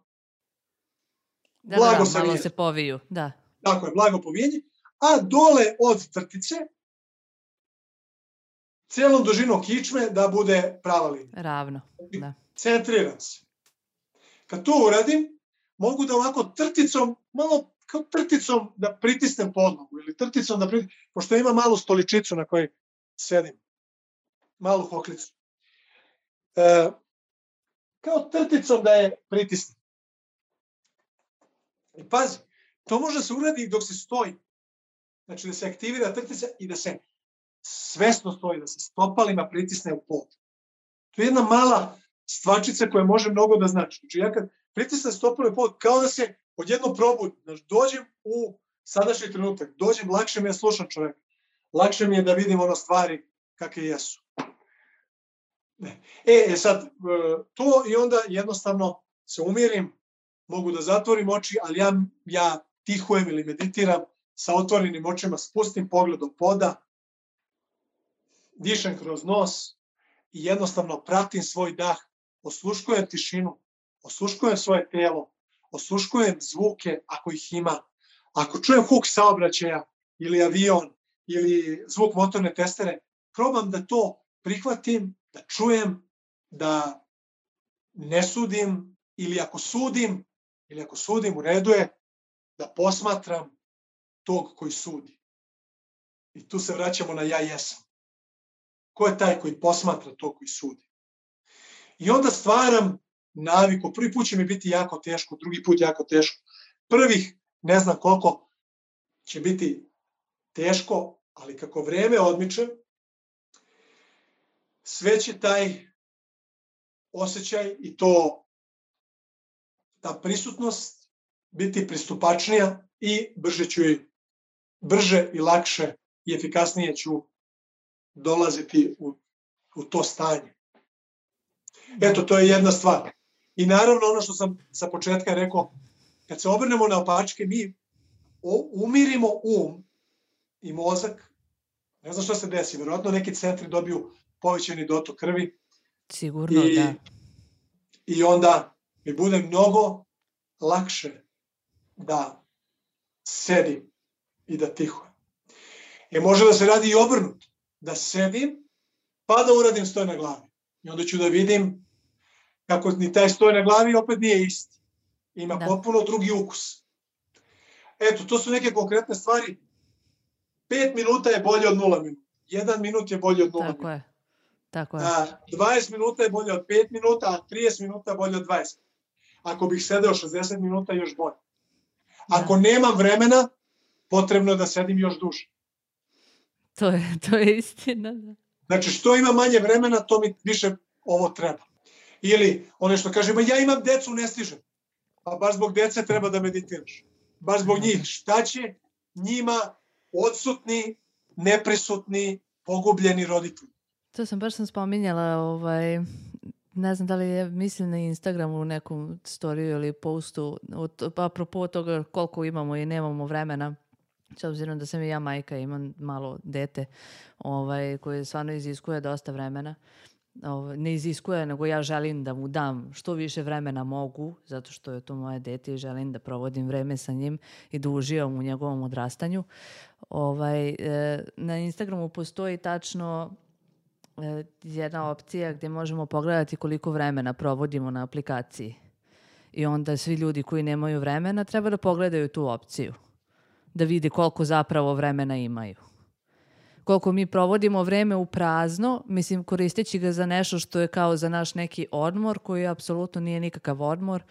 da, blago da, da, malo se poviju. Da. Tako je, blago povijenje. A dole od trtice cijelom dužinom kičme da bude prava linija. Ravno, da. Centriram se. Kad to uradim, mogu da ovako trticom, malo kao trticom da pritisnem podnogu ili trticom da pritisnem, pošto ima malu stoličicu na kojoj sedim, malu hoklicu. E, kao trticom da je pritisnem. I pazi, to može se uraditi dok se stoji. Znači da se aktivira trtica i da se svesno stoji, da se stopalima pritisne u pod. To je jedna mala stvačica koja može mnogo da znači. Znači ja kad pritisnem stopalima u pod, kao da se odjedno probudim, znači dođem u sadašnji trenutak, dođem, lakše mi je slušan čovjek, lakše mi je da vidim ono stvari kakve jesu. Ne. E, e sad, to i onda jednostavno se umirim, mogu da zatvorim oči, ali ja, ja tihujem ili meditiram sa otvorenim očima, spustim pogled do poda, dišem kroz nos i jednostavno pratim svoj dah, osluškujem tišinu, osluškujem svoje telo, osluškujem zvuke ako ih ima. Ako čujem huk saobraćaja ili avion ili zvuk motorne testere, probam da to prihvatim, da čujem, da ne sudim ili ako sudim, ili ako sudim u redu je da posmatram tog koji sudi. I tu se vraćamo na ja jesam. Ko je taj koji posmatra tog koji sudi? I onda stvaram naviku. Prvi put će mi biti jako teško, drugi put jako teško. Prvih ne znam koliko će biti teško, ali kako vreme odmiče, sve će taj osjećaj i to ta prisutnost biti pristupačnija i brže ću i brže i lakše i efikasnije ću dolaziti u, u to stanje. Eto, to je jedna stvar. I naravno ono što sam sa početka rekao, kad se obrnemo na opačke, mi umirimo um i mozak, ne znam što se desi, vjerojatno neki centri dobiju povećani dotok krvi. Sigurno, i, da. I onda mi bude mnogo lakše da sedim i da tihujem. I može da se radi i obrnuto, da sedim pa da uradim stoj na glavi. I onda ću da vidim kako ni taj stoj na glavi opet nije isti. Ima da. Potpuno drugi ukus. Eto, to su neke konkretne stvari. Pet minuta je bolje od nula minuta. Jedan minut je bolje od nula Tako minuta. je. Tako je. A, dvadeset minuta je bolje od pet minuta, a trideset minuta je bolje od dvadeset. Ako bih sedeo šezdeset minuta, još bolje. Ako da. Nemam vremena, potrebno je da sedim još duže. To je, to je istina. Da. Znači, što ima manje vremena, to mi više ovo treba. Ili, ono što kaže, ma ja imam decu, ne stižem. Pa baš zbog dece treba da meditiraš. Baš zbog njih. Šta će njima odsutni, neprisutni, pogubljeni roditelji? To sam baš sam spominjala, ovaj, ne znam da li je mislim na Instagramu u nekom storiju ili postu, od, apropo toga koliko imamo i nemamo vremena, s obzirom da sam i ja majka, imam malo dete ovaj, koje stvarno iziskuje dosta vremena. Ovaj, ne iziskuje, nego ja želim da mu dam što više vremena mogu, zato što je to moje dete i želim da provodim vreme sa njim i da uživam u njegovom odrastanju. Ovaj, e, na Instagramu postoji tačno e, jedna opcija gdje možemo pogledati koliko vremena provodimo na aplikaciji. I onda svi ljudi koji nemaju vremena treba da pogledaju tu opciju, da vide koliko zapravo vremena imaju. Koliko mi provodimo vreme u prazno, mislim koristeći ga za nešto što je kao za naš neki odmor, koji apsolutno nije nikakav odmor.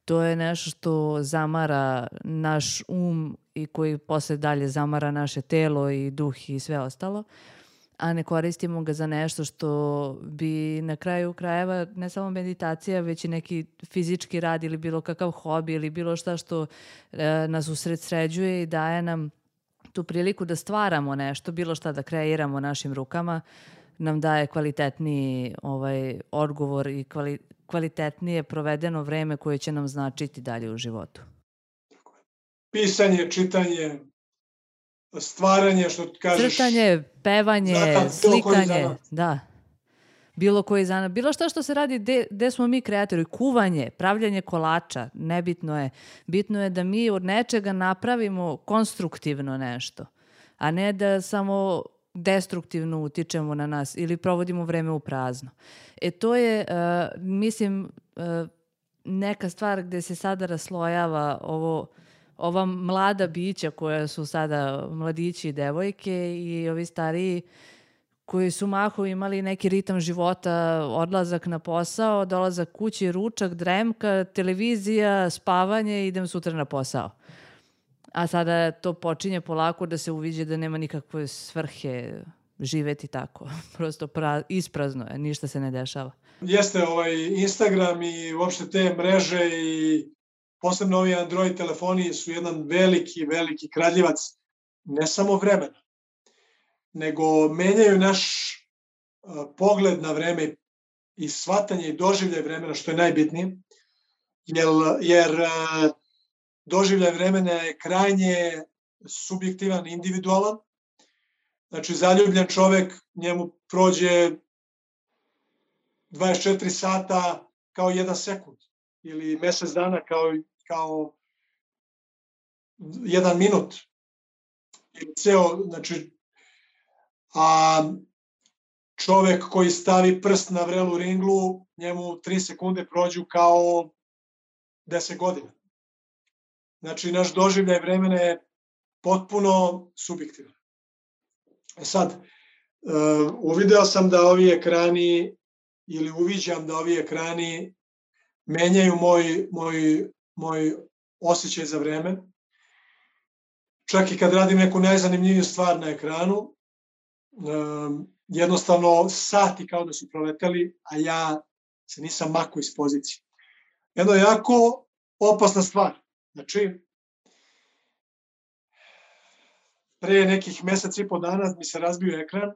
To je nešto što zamara naš um i koji posle dalje zamara naše telo i duh i sve ostalo. A ne koristimo ga za nešto što bi na kraju krajeva ne samo meditacija, već i neki fizički rad ili bilo kakav hobi ili bilo šta što e, nas usredsređuje i daje nam tu priliku da stvaramo nešto, bilo šta da kreiramo našim rukama, nam daje kvalitetniji ovaj, odgovor i kvali, kvalitetnije provedeno vreme koje će nam značiti dalje u životu. Pisanje, čitanje, stvaranje, što kažeš. Crtanje, pevanje, zanat, slikanje, da. Bilo koji zanat, bilo šta što se radi gde smo mi kreatori, kuvanje, pravljanje kolača, nebitno je. Bitno je da mi od nečega napravimo konstruktivno nešto, a ne da samo destruktivno utičemo na nas ili provodimo vreme u prazno. E to je, uh, mislim, uh, neka stvar gde se sada raslojava ovo, ova mlada bića koja su sada mladići i devojke i ovi stariji koji su mahom imali neki ritam života, odlazak na posao, dolazak kući, ručak, dremka, televizija, spavanje i idem sutra na posao. A sada to počinje polako da se uviđe da nema nikakve svrhe živeti tako. Prosto pra, isprazno je, ništa se ne dešava. Jeste ovaj Instagram i uopšte te mreže i posebno ovi Android telefoni su jedan veliki, veliki kradljivac ne samo vremena, nego menjaju naš uh, pogled na vreme i shvatanje i doživljaj vremena, što je najbitnije, jer, jer uh, doživljaj vremena je krajnje subjektivan, individualan. Znači, zaljubljen čovek, njemu prođe dvadeset četiri sata kao jedan sekund ili mesec dana kao, kao jedan minut. Ili ceo, znači, a čovek koji stavi prst na vrelu ringlu, njemu tri sekunde prođu kao deset godina. Znači, naš doživljaj vremena je potpuno subjektivan. E sad, uh, uvideo sam da ovi ekrani, ili uviđam da ovi ekrani menjaju moj, moj, moj osjećaj za vreme. Čak i kad radim neku najzanimljiviju stvar na ekranu, um, jednostavno sati kao da su proleteli, a ja se nisam makao iz pozicije. Jedno je jako opasna stvar. Znači, pre nekih mesec i po dana mi se razbio ekran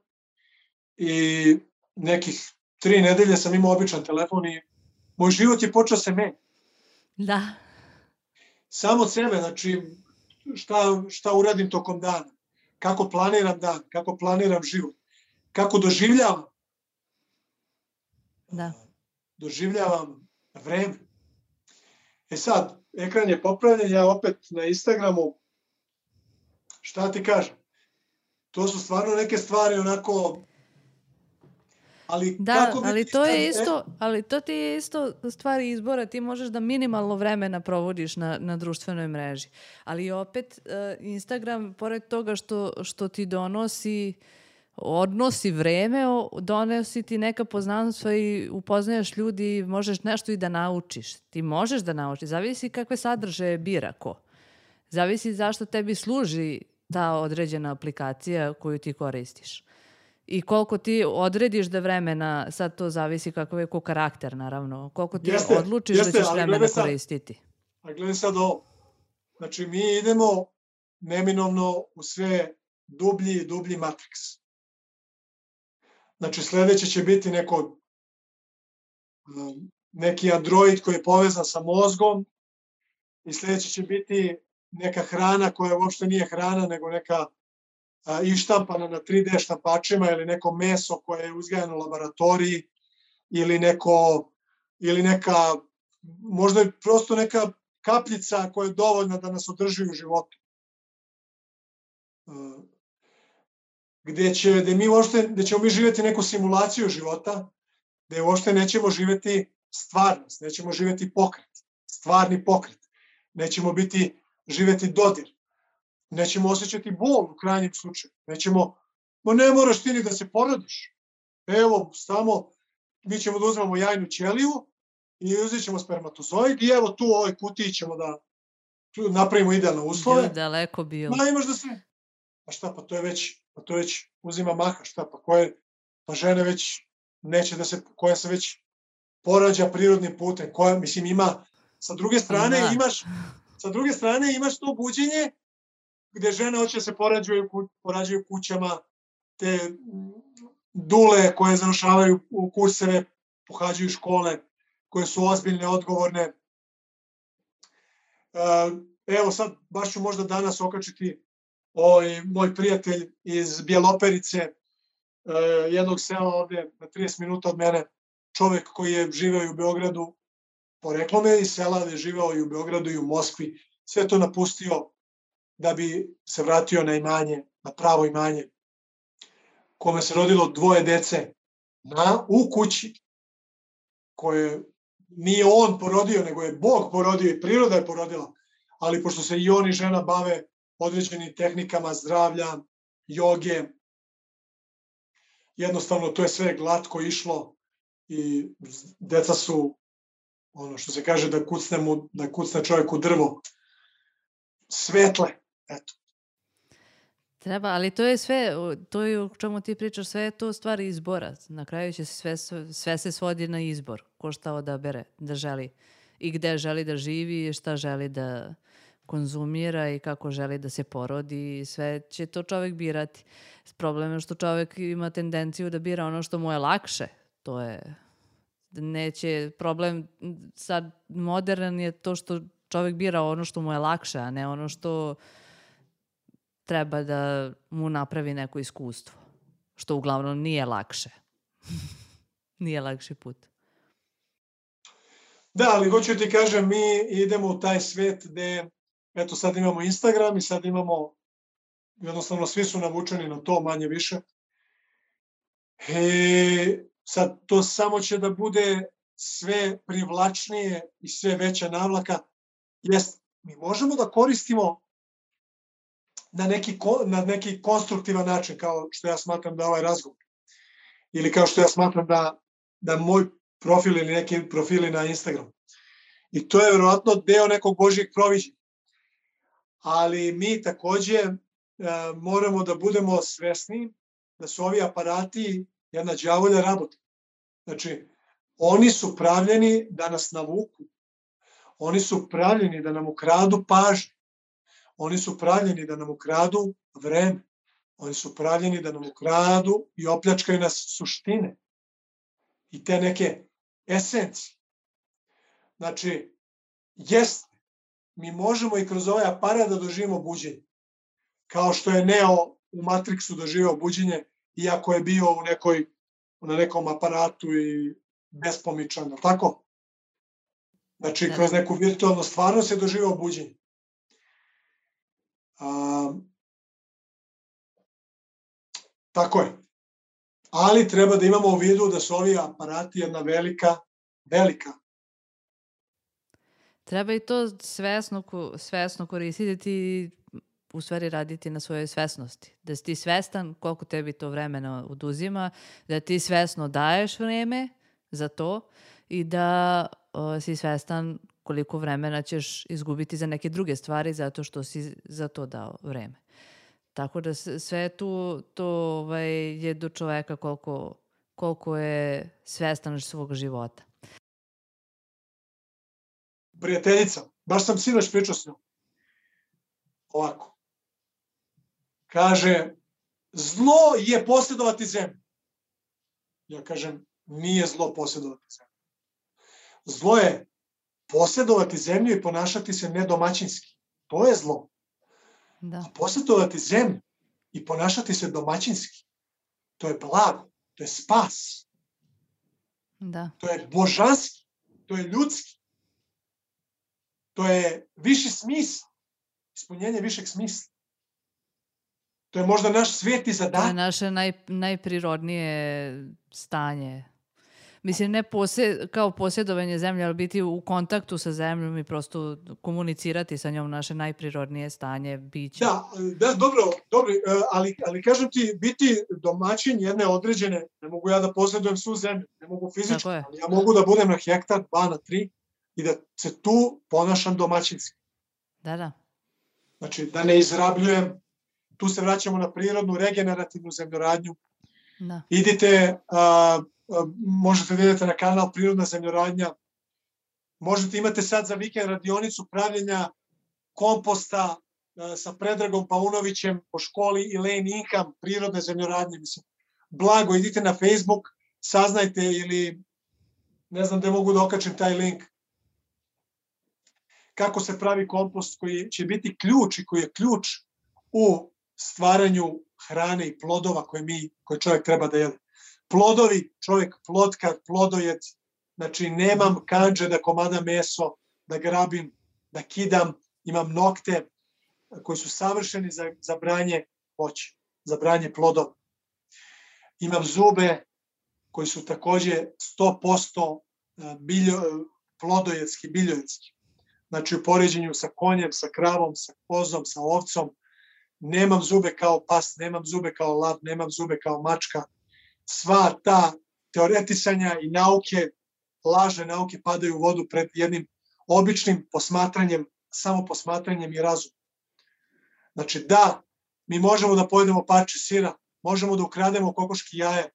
i nekih tri nedelje sam imao običan telefon i moj život je počeo se menjati. Da. Samo od sebe, znači šta, šta uradim tokom dana, kako planiram dan, kako planiram život, kako doživljavam. Da. Doživljavam vreme. E sad, ekran je popravljen, ja opet na Instagramu, šta ti kažem, to su stvarno neke stvari onako, ali da, kako ali vidiš to je sad, isto, ali to ti je isto stvari izbora, ti možeš da minimalno vremena provodiš na, na društvenoj mreži, ali opet uh, Instagram, pored toga što, što ti donosi odnosi vreme, donosi ti neka poznanstva i upoznaješ ljudi, možeš nešto i da naučiš. Ti možeš da naučiš, zavisi kakve sadržaje bira ko. Zavisi zašto tebi služi ta određena aplikacija koju ti koristiš. I koliko ti odrediš da vremena, sad to zavisi kakav je ko karakter, naravno. Koliko ti jeste, odlučiš jeste, da ćeš vremena sad, koristiti. A gledaj sad ovo. Znači, mi idemo neminovno u sve dublji i dublji matriks. Znači, sledeće će biti neko, neki android koji je povezan sa mozgom i sledeće će biti neka hrana koja uopšte nije hrana, nego neka a, ištampana na tri D štampačima ili neko meso koje je uzgajano u laboratoriji ili neko, ili neka, možda je prosto neka kapljica koja je dovoljna da nas održi u životu. Gde, će, gde, mi uopšte, gde ćemo mi živjeti neku simulaciju života, gde uopšte nećemo živjeti stvarnost, nećemo živjeti pokret, stvarni pokret, nećemo biti, živjeti dodir, nećemo osjećati bol u krajnjem slučaju, nećemo, ma ne moraš ti ni da se porodiš, evo, samo, mi ćemo da uzmemo jajnu ćeliju i uzet ćemo spermatozoid i evo tu u ovoj kutiji ćemo da napravimo idealne uslove. Bilo daleko bilo. Ma imaš da se, pa šta, pa to je već, pa to već uzima maha, šta, pa koje, pa žene već neće da se, koja se već porađa prirodnim putem, koja, mislim, ima, sa druge strane da. imaš, sa druge strane imaš to buđenje gde žene hoće da se porađuju, porađuju kućama, te dule koje završavaju u kurseve, pohađaju škole, koje su ozbiljne, odgovorne. Evo sad, baš ću možda danas okačiti ovaj moj prijatelj iz Bjeloperice, jednog sela ovde na trideset minuta od mene, čovek koji je živeo u Beogradu, poreklom je iz sela, da je živeo i u Beogradu i u Moskvi, sve to napustio da bi se vratio na imanje, na pravo imanje, kome se rodilo dvoje dece na, u kući, koje nije on porodio, nego je Bog porodio i priroda je porodila, ali pošto se i on i žena bave određenim tehnikama zdravlja, joge, jednostavno to je sve glatko išlo i deca su, ono što se kaže da kucne, mu, da kucne čovjek u drvo, svetle, eto. Treba, ali to je sve, to je o čemu ti pričaš, sve je to stvari izbora. Na kraju će se sve, sve se svodi na izbor. Ko šta odabere da želi i gde želi da živi i šta želi da konzumira i kako želi da se porodi. Sve će to čovjek birati. Problem je što čovjek ima tendenciju da bira ono što mu je lakše. To je, neće, problem sad modern je to što čovjek bira ono što mu je lakše, a ne ono što treba da mu napravi neko iskustvo. Što uglavnom nije lakše. Nije lakši put. Da, ali hoću ti kažem, mi idemo u taj svet gde, eto sad imamo Instagram i sad imamo, jednostavno svi su navučeni na to manje više. I sad to samo će da bude sve privlačnije i sve veća navlaka. Jest, mi možemo da koristimo na neki, na neki konstruktivan način, kao što ja smatram da ovaj razgovor. Ili kao što ja smatram da, da moj profil ili neki profili na Instagramu. I to je verovatno deo nekog Božjeg proviđenja. Ali mi takođe e, moramo da budemo svesni da su ovi aparati jedna đavolja rabota. Znači, oni su pravljeni da nas navuku. Oni su pravljeni da nam ukradu pažnju. Oni su pravljeni da nam ukradu vreme. Oni su pravljeni da nam ukradu i opljačkaju nas suštine. I te neke esencije. Znači, jeste, mi možemo i kroz ovaj aparat da doživimo buđenje. Kao što je Neo u Matrixu doživio buđenje, iako je bio u nekoj, na nekom aparatu i bespomičan, tako? Znači, kroz neku virtualnu stvarnost je doživio buđenje. A, tako je. Ali treba da imamo u vidu da su ovi aparati jedna velika, velika. Treba i to svesno, svesno koristiti i u stvari raditi na svojoj svesnosti. Da si ti svestan koliko tebi to vremena oduzima, da ti svesno daješ vreme za to i da o, si svestan koliko vremena ćeš izgubiti za neke druge stvari zato što si za to dao vreme. Tako da sve tu to ovaj, je do čoveka koliko, koliko je svestan svog života. Prijateljica, baš sam sinoć pričao s njom. Ovako. Kaže, zlo je posjedovati zemlju. ja kažem, nije zlo posjedovati zemlju. Zlo je posjedovati zemlju i ponašati se nedomaćinski. To je zlo. Da. A posjedovati zemlju i ponašati se domaćinski, to je blago, to je spas. Da. To je božanski, to je ljudski. To je viši smisao, ispunjenje višeg smisla. To je možda naš sveti zadatak. To je naše naj, najprirodnije stanje. Mislim, ne posjed, kao posjedovanje zemlje, ali biti u kontaktu sa zemljom i prosto komunicirati sa njom, naše najprirodnije stanje, biće. Da, da, dobro, dobro, ali, ali kažem ti, biti domaćin jedne određene, ne mogu ja da posjedujem svu zemlju, ne mogu fizički, ali ja mogu da budem na hektar, dva, na tri i da se tu ponašam domaćinski. Da, da. Znači, da ne izrabljujem, tu se vraćamo na prirodnu, regenerativnu zemljoradnju. Da. Idite, a, a, možete da idete na kanal Prirodna zemljoradnja, možete imate sad za vikend radionicu pravljenja komposta a, sa Predragom Paunovićem po školi Elaine Ingham, prirodne zemljoradnje, mislim. Blago, idite na Facebook, saznajte ili ne znam gde mogu da okačim taj link. Kako se pravi kompost koji će biti ključ i koji je ključ u stvaranju hrane i plodova koje mi, koje čovjek treba da jede. Plodovi, čovjek plotkar, plodojed, znači nemam kandže da komadam meso, da grabim, da kidam, imam nokte koji su savršeni za, za branje voća, za branje plodova. Imam zube koji su takođe sto posto biljo, plodojedski, biljojedski. Znači u poređenju sa konjem, sa kravom, sa kozom, sa ovcom, nemam zube kao pas, nemam zube kao lav, nemam zube kao mačka. Sva ta teoretisanja i nauke, lažne nauke padaju u vodu pred jednim običnim posmatranjem, samo posmatranjem i razumom. Znači da, mi možemo da pojedemo parče sira, možemo da ukrademo kokoški jaje,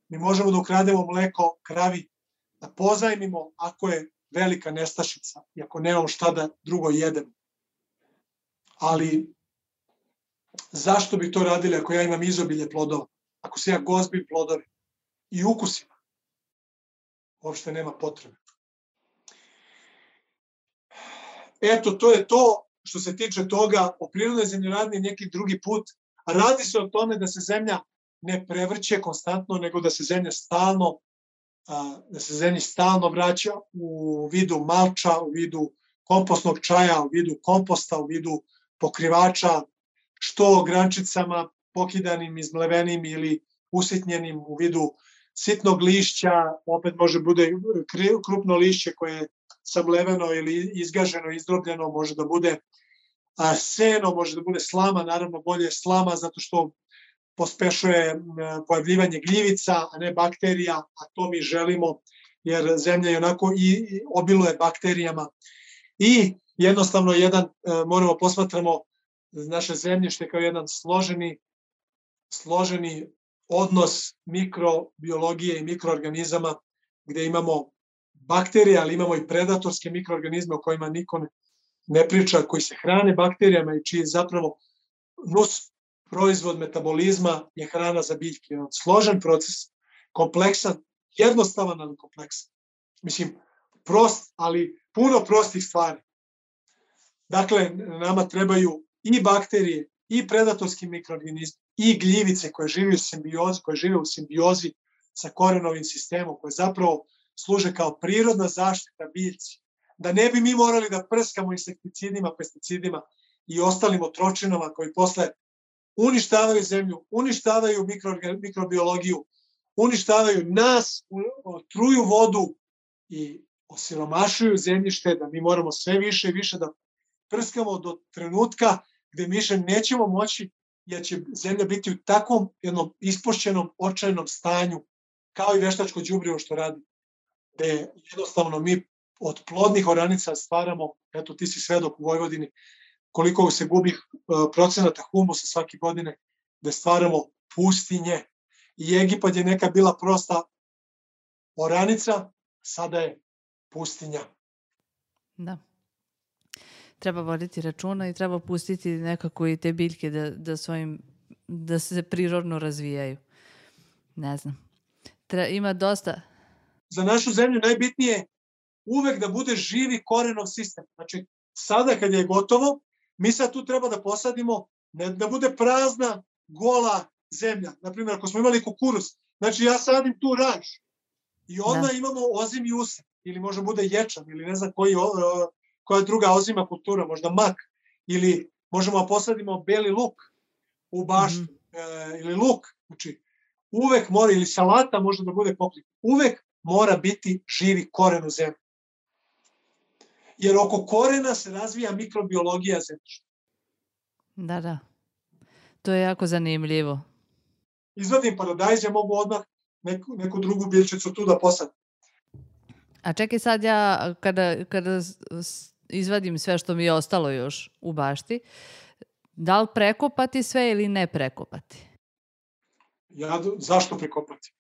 mi možemo da ukrademo mleko kravi, da pozajmimo ako je velika nestašica i ako nemamo šta da drugo jedemo. Ali zašto bi to radili ako ja imam izobilje plodova? Ako se ja gozbim plodove i ukusima? Uopšte nema potrebe. Eto, to je to što se tiče toga. O prirodnoj zemljoradnji neki drugi put. Radi se o tome da se zemlja ne prevrće konstantno, nego da se zemlja stalno da se zemlji stalno vraća u vidu malča, u vidu kompostnog čaja, u vidu komposta, u vidu pokrivača, što grančicama pokidanim, izmlevenim ili usitnjenim u vidu sitnog lišća, opet može bude krupno lišće koje je samleveno ili izgaženo, izdrobljeno, može da bude seno, može da bude slama, naravno bolje je slama zato što pospešuje pojavljivanje gljivica, a ne bakterija, a to mi želimo, jer zemlja je onako i obiluje bakterijama. I jednostavno jedan, moramo posmatramo naše zemljište kao jedan složeni, složeni odnos mikrobiologije i mikroorganizama, gde imamo bakterije, ali imamo i predatorske mikroorganizme o kojima niko ne priča, koji se hrane bakterijama i čiji zapravo nus proizvod metabolizma je hrana za biljke. Jedan složen proces, kompleksan, jednostavan, ali kompleksan. Mislim, prost, ali puno prostih stvari. Dakle, nama trebaju i bakterije, i predatorski mikroorganizmi, i gljivice koje žive u simbiozi, koje žive u simbiozi sa korenovim sistemom, koje zapravo služe kao prirodna zaštita biljci. Da ne bi mi morali da prskamo insekticidima, pesticidima i ostalim otročinama koji posle uništavaju zemlju, uništavaju mikrobiologiju, uništavaju nas, truju vodu i osiromašuju zemljište, da mi moramo sve više i više da prskamo do trenutka gde mi više nećemo moći, jer će zemlja biti u takvom jednom ispošćenom, očajnom stanju, kao i veštačko đubrivo što radi, gde jednostavno mi od plodnih oranica stvaramo, eto ti si svedok u Vojvodini, koliko se gubi procenata humusa svake godine, da stvaramo pustinje. I Egipat je neka bila prosta oranica, sada je pustinja. Da. Treba voditi računa i treba pustiti nekako i te biljke da, da, svojim, da se prirodno razvijaju. Ne znam. Tre, ima dosta. Za našu zemlju najbitnije je uvek da bude živi korenov sistem. Znači, sada kad je gotovo, mi sad tu treba da posadimo, ne da bude prazna, gola zemlja. Naprimjer, ako smo imali kukuruz, znači ja sadim tu raž i onda da. Imamo ozim i usad, ili možda bude ječam, ili ne znam koji, koja druga ozima kultura, možda mak, ili možemo da posadimo beli luk u baštu, mm-hmm. e, ili luk. Znači, uvek mora, ili salata može da bude pokrit. Uvek mora biti živi koren u zemlji. Jer oko korena se razvija mikrobiologija zemljišta. Da, da. To je jako zanimljivo. Izvadim paradajz, ja mogu odmah neku, neku drugu biljčicu tu da posadim. A čekaj sad ja, kada, kada izvadim sve što mi je ostalo još u bašti, da li prekopati sve ili ne prekopati? Ja, zašto prekopati?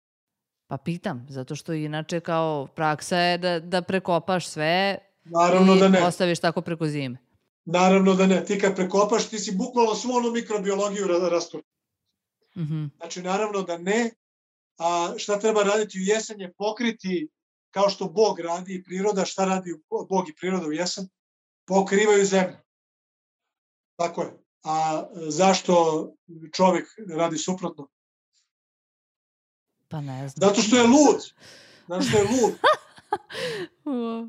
Pa pitam, zato što inače kao praksa je da, da prekopaš sve Naravno i da ne. ostaviš tako preko zime. Naravno da ne. Ti kad prekopaš, ti si bukvalno svu onu mikrobiologiju rastur. Mm-hmm. Znači, naravno da ne. A šta treba raditi u jesen je pokriti, kao što Bog radi i priroda, šta radi Bog i priroda u jesen? Pokrivaju zemlju. Tako je. A zašto čovjek radi suprotno? Pa ne znam. Zato što je lud. Zato što je lud.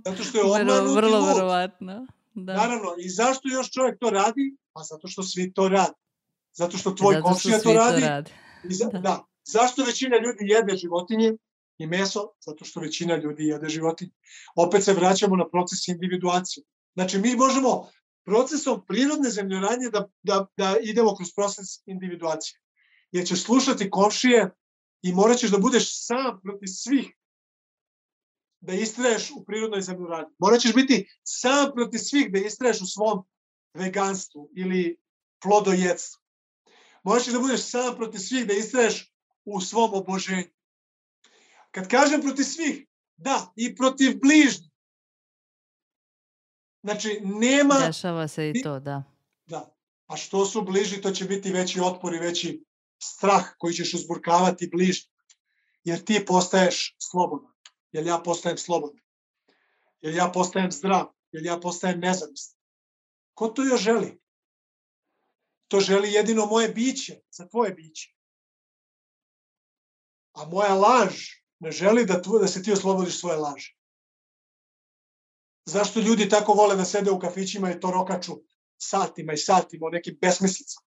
Zato što je obmanut vrlo, i lud. Verovatno. Da. Naravno. I zašto još čovjek to radi? Pa zato što svi to radi. Zato što tvoj komšija to radi. To radi. I za, da. da. Zašto većina ljudi jede životinje i meso? Zato što većina ljudi jede životinje. Opet se vraćamo na proces individuacije. Znači, mi možemo procesom prirodne zemljoradnje da, da, da idemo kroz proces individuacije. Jer ćeš slušati komšije i morat ćeš da budeš sam protiv svih da istraješ u prirodnoj zemljoradnji. Morat ćeš biti sam protiv svih da istraješ u svom veganstvu ili plodojedstvu. Morat ćeš da budeš sam protiv svih da istraješ u svom oboženju. Kad kažem protiv svih, da, i protiv bližnjih. Znači, nema... Dešava se i to, da. Da. A što su bliži, to će biti veći otpor i veći strah koji ćeš uzburkavati bližnjih. Jer ti postaješ slobodan. Jer ja postajem slobodan. Jer ja postajem zdrav. Jer ja postajem nezavistan. Ko to još želi? To želi jedino moje biće, za tvoje biće. A moja laž ne želi da, tvo, da se ti oslobodiš svoje laže. Zašto ljudi tako vole da sede u kafićima i to rokaču satima i satima o nekim besmislicama?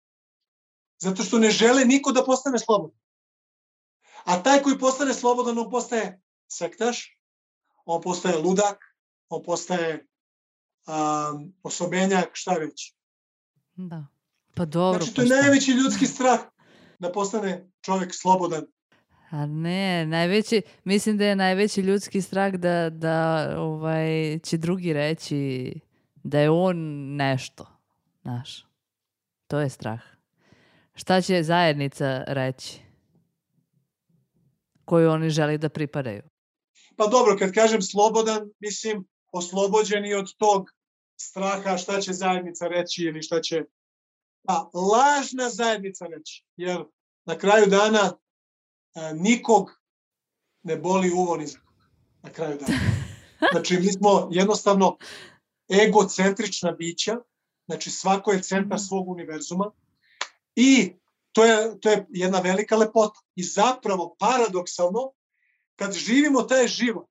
Zato što ne žele niko da postane slobodan. A taj koji postane slobodan, on postaje sektaš, on postaje ludak, on postaje um, osobenjak, šta već. Da. Pa dobro. Znači, to je najveći ljudski strah da postane čovjek slobodan. A ne, najveći, mislim da je najveći ljudski strah da, da ovaj, će drugi reći da je on nešto, znaš. To je strah. Šta će zajednica reći koju oni želi da pripadaju? Pa dobro, kad kažem slobodan, mislim oslobođeni od tog straha šta će zajednica reći ili šta će... Pa, lažna zajednica reći, jer na kraju dana a, nikog ne boli uvo ni za koga. Na kraju dana. Znači, mi smo jednostavno egocentrična bića, znači svako je centar svog univerzuma i to je, to je jedna velika lepota. I zapravo, paradoksalno, kad živimo taj život,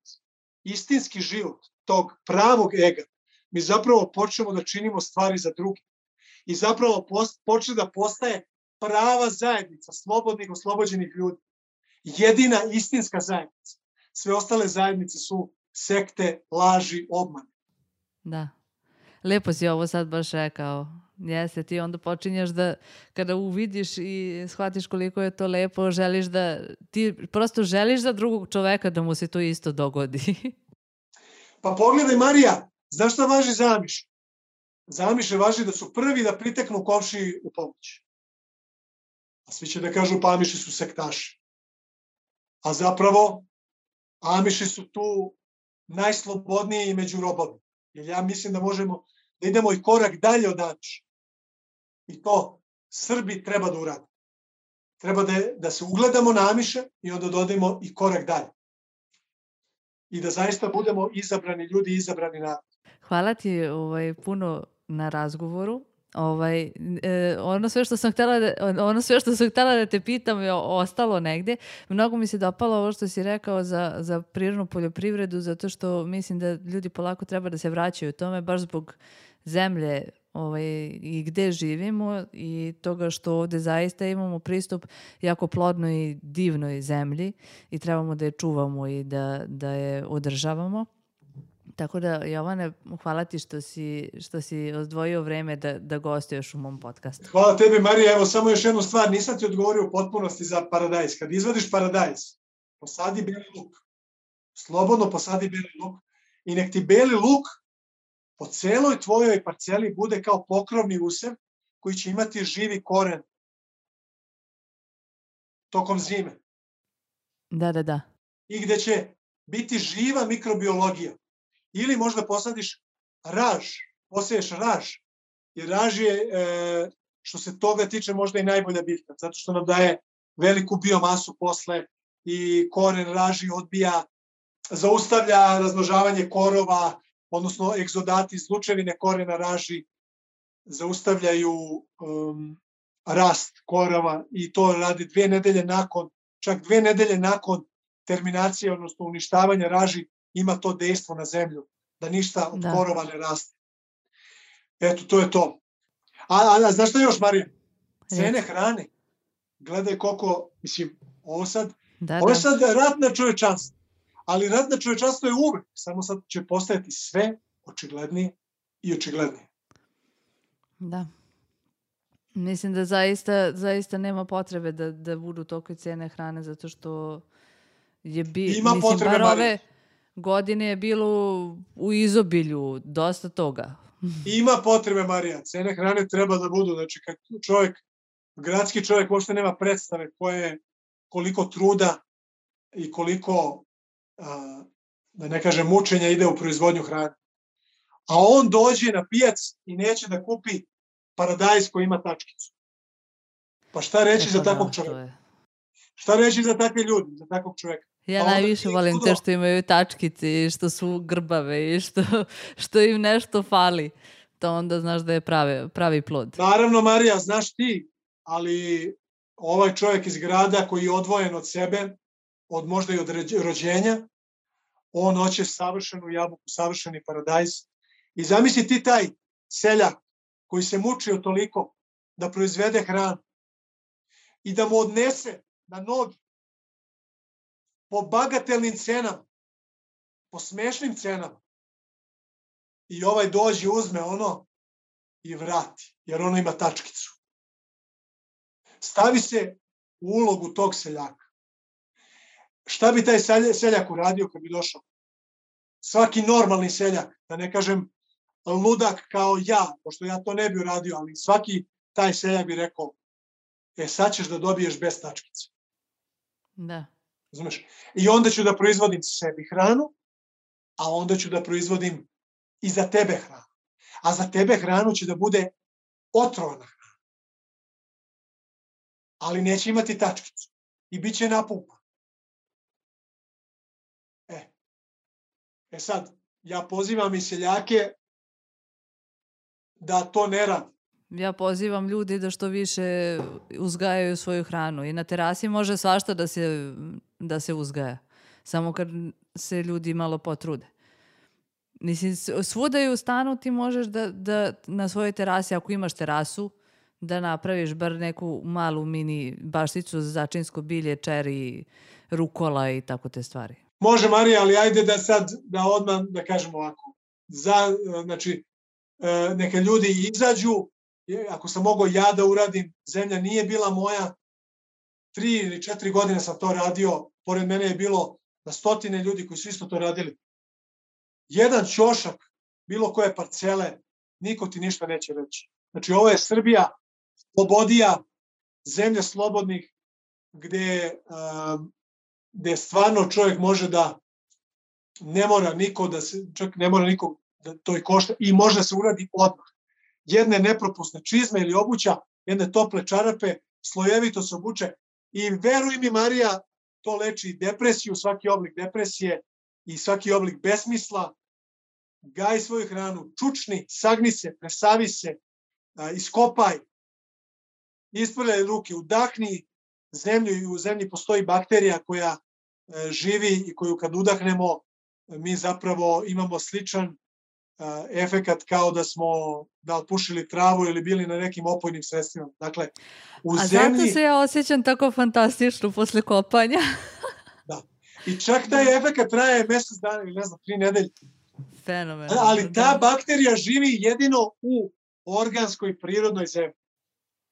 istinski život, tog pravog ega, mi zapravo počnemo da činimo stvari za druge. I zapravo počne da postaje prava zajednica, slobodnih, oslobođenih ljudi. Jedina istinska zajednica. Sve ostale zajednice su sekte, laži, obmane. Da. Lepo si ovo sad baš rekao. Jeste, ti onda počinješ da, kada uvidiš i shvatiš koliko je to lepo, želiš da, ti prosto želiš za drugog čoveka da mu se to isto dogodi. Pa pogledaj, Marija, znaš šta važi za Amiše? Za Amiše važi da su prvi da priteknu komšiji u pomoć. A svi će da kažu pa Amiši su sektaši. A zapravo Amiši su tu najslobodniji među robovima. Jer ja mislim da možemo da idemo i korak dalje od Amiša. I to Srbi treba da urade. treba da, da se ugledamo na Amiše i onda dodajemo i korak dalje. I da zaista budemo izabrani ljudi, izabrani narod. Hvala ti ovaj, puno na razgovoru. Ovaj, e, ono sve što sam htjela da, ono sve što sam htjela da te pitam je ostalo negdje. Mnogo mi se dopalo ovo što si rekao za, za prirodnu poljoprivredu, zato što mislim da ljudi polako treba da se vraćaju tome, baš zbog zemlje ovaj, i gde živimo i toga što ovdje zaista imamo pristup jako plodnoj i divnoj zemlji i trebamo da je čuvamo i da, da je održavamo. Tako da, Jovane, hvala ti što si, što si odvojio vreme da, da gostuješ u mom podcastu. Hvala tebi, Marija. Evo, samo još jednu stvar. Nisam ti odgovorio u potpunosti za paradajz. Kad izvadiš paradajz, posadi beli luk. Slobodno posadi beli luk. I nek ti beli luk po celoj tvojoj parceli bude kao pokrovni usev koji će imati živi koren tokom zime. Da, da, da. I gde će biti živa mikrobiologija. Ili možda posadiš raž, poseješ raž. Jer raž je, e, što se toga tiče, možda i najbolja biljka, zato što nam daje veliku biomasu posle i koren raži odbija, zaustavlja razmnožavanje korova, odnosno egzodati iz lučevine korena raži zaustavljaju um, rast korova i to radi dve nedelje nakon, čak dve nedelje nakon terminacije, odnosno uništavanja raži, ima to dejstvo na zemlju, da ništa od da. korova ne raste. Eto, to je to. A, a, a znaš šta još, Marija? Cene hrane. Gledaj koliko, mislim, ovo sad, da, ovo je sad rat na čovečanstvo. Ali rat na čovečanstvo je uvek. Samo sad će postajati sve očiglednije i očiglednije. Da. Mislim da zaista, zaista nema potrebe da, da budu toliko cene hrane, zato što je bi, ima mislim, potrebe, bar ove godine je bilo u izobilju dosta toga. Ima potrebe, Marija. Cene hrane treba da budu. Znači, kad čovjek, gradski čovjek uopšte nema predstave koje, koliko truda i koliko, a, da ne kažem, mučenja ide u proizvodnju hrane. A on dođe na pijac i neće da kupi paradajz koji ima tačkicu. Pa šta reći za takvog čovjeka? Šta reći za takve ljudi, za takvog čovjeka? Ja pa najviše volim te što imaju tačkice i što su grbave i što, što im nešto fali. To onda znaš da je pravi, pravi plod. Naravno, Marija, znaš ti, ali ovaj čovjek iz grada koji je odvojen od sebe, od možda i od rođenja, on hoće savršenu jabuku, savršeni paradajz. I zamisli ti taj seljak koji se mučio toliko da proizvede hranu i da mu odnese na nogi po bagatelnim cenama, po smešnim cenama. I ovaj dođe, uzme ono i vrati, jer ono ima tačkicu. Stavi se u ulogu tog seljaka. Šta bi taj seljak uradio kad bi došao? Svaki normalni seljak, da ne kažem ludak kao ja, pošto ja to ne bi uradio, ali svaki taj seljak bi rekao, e sad ćeš da dobiješ bez tačkice. Da. Znaš? I onda ću da proizvodim sebi hranu, a onda ću da proizvodim i za tebe hranu. A za tebe hranu će da bude otrovana hrana. Ali neće imati tačkicu. I bit će napumpan. E. E sad, ja pozivam i seljake da to ne radi. Ja pozivam ljudi da što više uzgajaju svoju hranu. I na terasi može svašta da se, da se uzgaja. Samo kad se ljudi malo potrude. Mislim, svuda i u stanu ti možeš da, da na svojoj terasi, ako imaš terasu, da napraviš bar neku malu mini bašticu za začinsko bilje, čeri, rukola i tako te stvari. Može, Marija, ali ajde da sad, da odmah, da kažem ovako. Za, znači, neka ljudi izađu, ako sam mogao ja da uradim, zemlja nije bila moja, tri ili četiri godine sam to radio, pored mene je bilo na stotine ljudi koji su isto to radili. Jedan ćošak, bilo koje parcele, niko ti ništa neće reći. Znači, ovo je Srbija, slobodija, zemlja slobodnih, gde, um, gde stvarno čovjek može da ne mora niko da se, čak ne mora niko da to i košta i može da se uradi odmah. Jedne nepropusne čizme ili obuća, jedne tople čarape, slojevito se obuče I veruj mi, Marija, to leči depresiju, svaki oblik depresije i svaki oblik besmisla. Gaj svoju hranu, čučni, sagni se, presavi se, iskopaj, isprljaj ruke, udahni zemlju i u zemlji postoji bakterija koja živi i koju kad udahnemo mi zapravo imamo sličan efekat kao da smo da pušili travu ili bili na nekim opojnim sredstvima. Dakle, u A zemlji... zato se ja osjećam tako fantastično posle kopanja. Da. I čak taj efekat traje mesec dana ili ne znam, tri nedelje. Fenomen. Ali ta bakterija živi jedino u organskoj prirodnoj zemlji.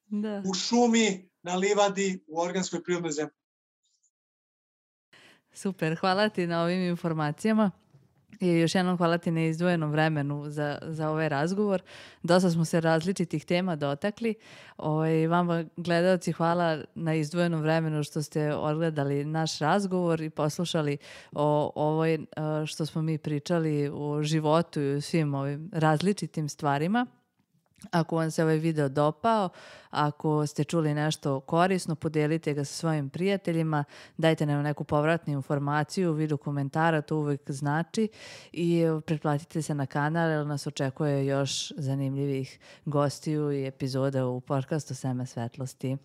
Da. U šumi, na livadi, u organskoj prirodnoj zemlji. Super, hvala ti na ovim informacijama. I još jednom hvala ti na izdvojenom vremenu za, za ovaj razgovor. Dosta smo se različitih tema dotakli. Ovaj, vama, gledalci, hvala na izdvojenom vremenu što ste odgledali naš razgovor i poslušali o ovoj što smo mi pričali o životu i o svim ovim različitim stvarima. Ako vam se ovaj video dopao, ako ste čuli nešto korisno, podelite ga sa svojim prijateljima, dajte nam neku povratnu informaciju u vidu komentara, to uvek znači, i pretplatite se na kanal jer nas očekuje još zanimljivih gostiju i epizoda u podcastu Seme svetlosti.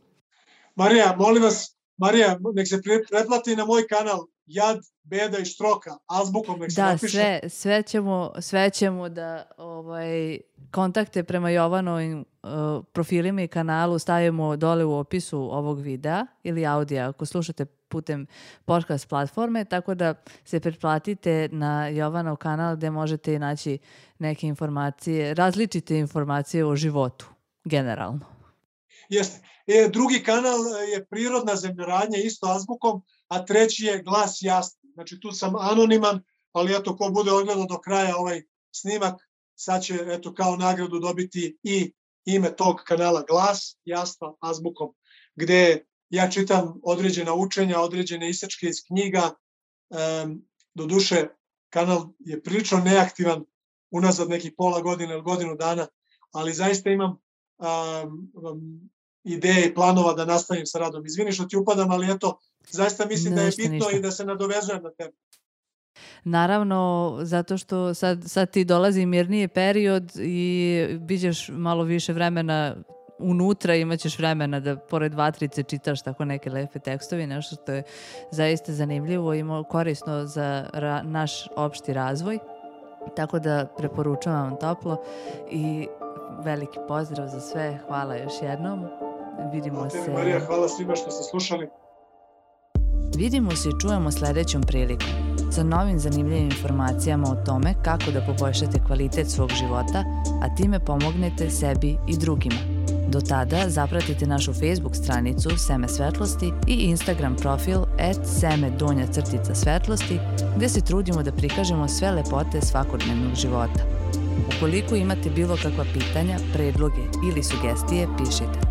Marija, molim vas, Marija, nek se pretplati na moj kanal Jad, beda i štroka, azbukom nek se da, napiše. sve, sve, ćemo, sve ćemo da ovaj, kontakte prema Jovanovim uh, profilima i kanalu stavimo dole u opisu ovog videa ili audija ako slušate putem podcast platforme, tako da se pretplatite na Jovanov kanal gde možete naći neke informacije, različite informacije o životu, generalno. Jeste. E, drugi kanal je Prirodna zemljoradnja, isto azbukom, a treći je Glas jasni. Znači tu sam anoniman, ali eto ko bude odgledao do kraja ovaj snimak, sad će eto kao nagradu dobiti i ime tog kanala Glas jasno azbukom, gde ja čitam određena učenja, određene isečke iz knjiga. Um, doduše, kanal je prilično neaktivan unazad nekih pola godine ili godinu dana, ali zaista imam um, um, ideje i planova da nastavim sa radom. Izvini što ti upadam, ali eto, zaista mislim Ništa, da je bitno ništa. I da se nadovezujem na tebe. Naravno, zato što sad, sad ti dolazi mirniji period i biđeš malo više vremena unutra, imaćeš vremena da pored vatrice čitaš tako neke lepe tekstovi, nešto što je zaista zanimljivo i korisno za ra- naš opšti razvoj. Tako da preporučujem vam toplo i veliki pozdrav za sve. Hvala još jednom. Vidimo Hvala se. tebi, Marija, hvala svima što ste slušali. Vidimo se i čujemo sledećom prilikom sa novim zanimljivim informacijama o tome kako da poboljšate kvalitet svog života, a time pomognete sebi i drugima. Do tada zapratite našu Facebook stranicu Seme svetlosti i Instagram profil at seme donja crtica svetlosti, gde se trudimo da prikažemo sve lepote svakodnevnog života. Ukoliko imate bilo kakva pitanja, predloge ili sugestije, pišite.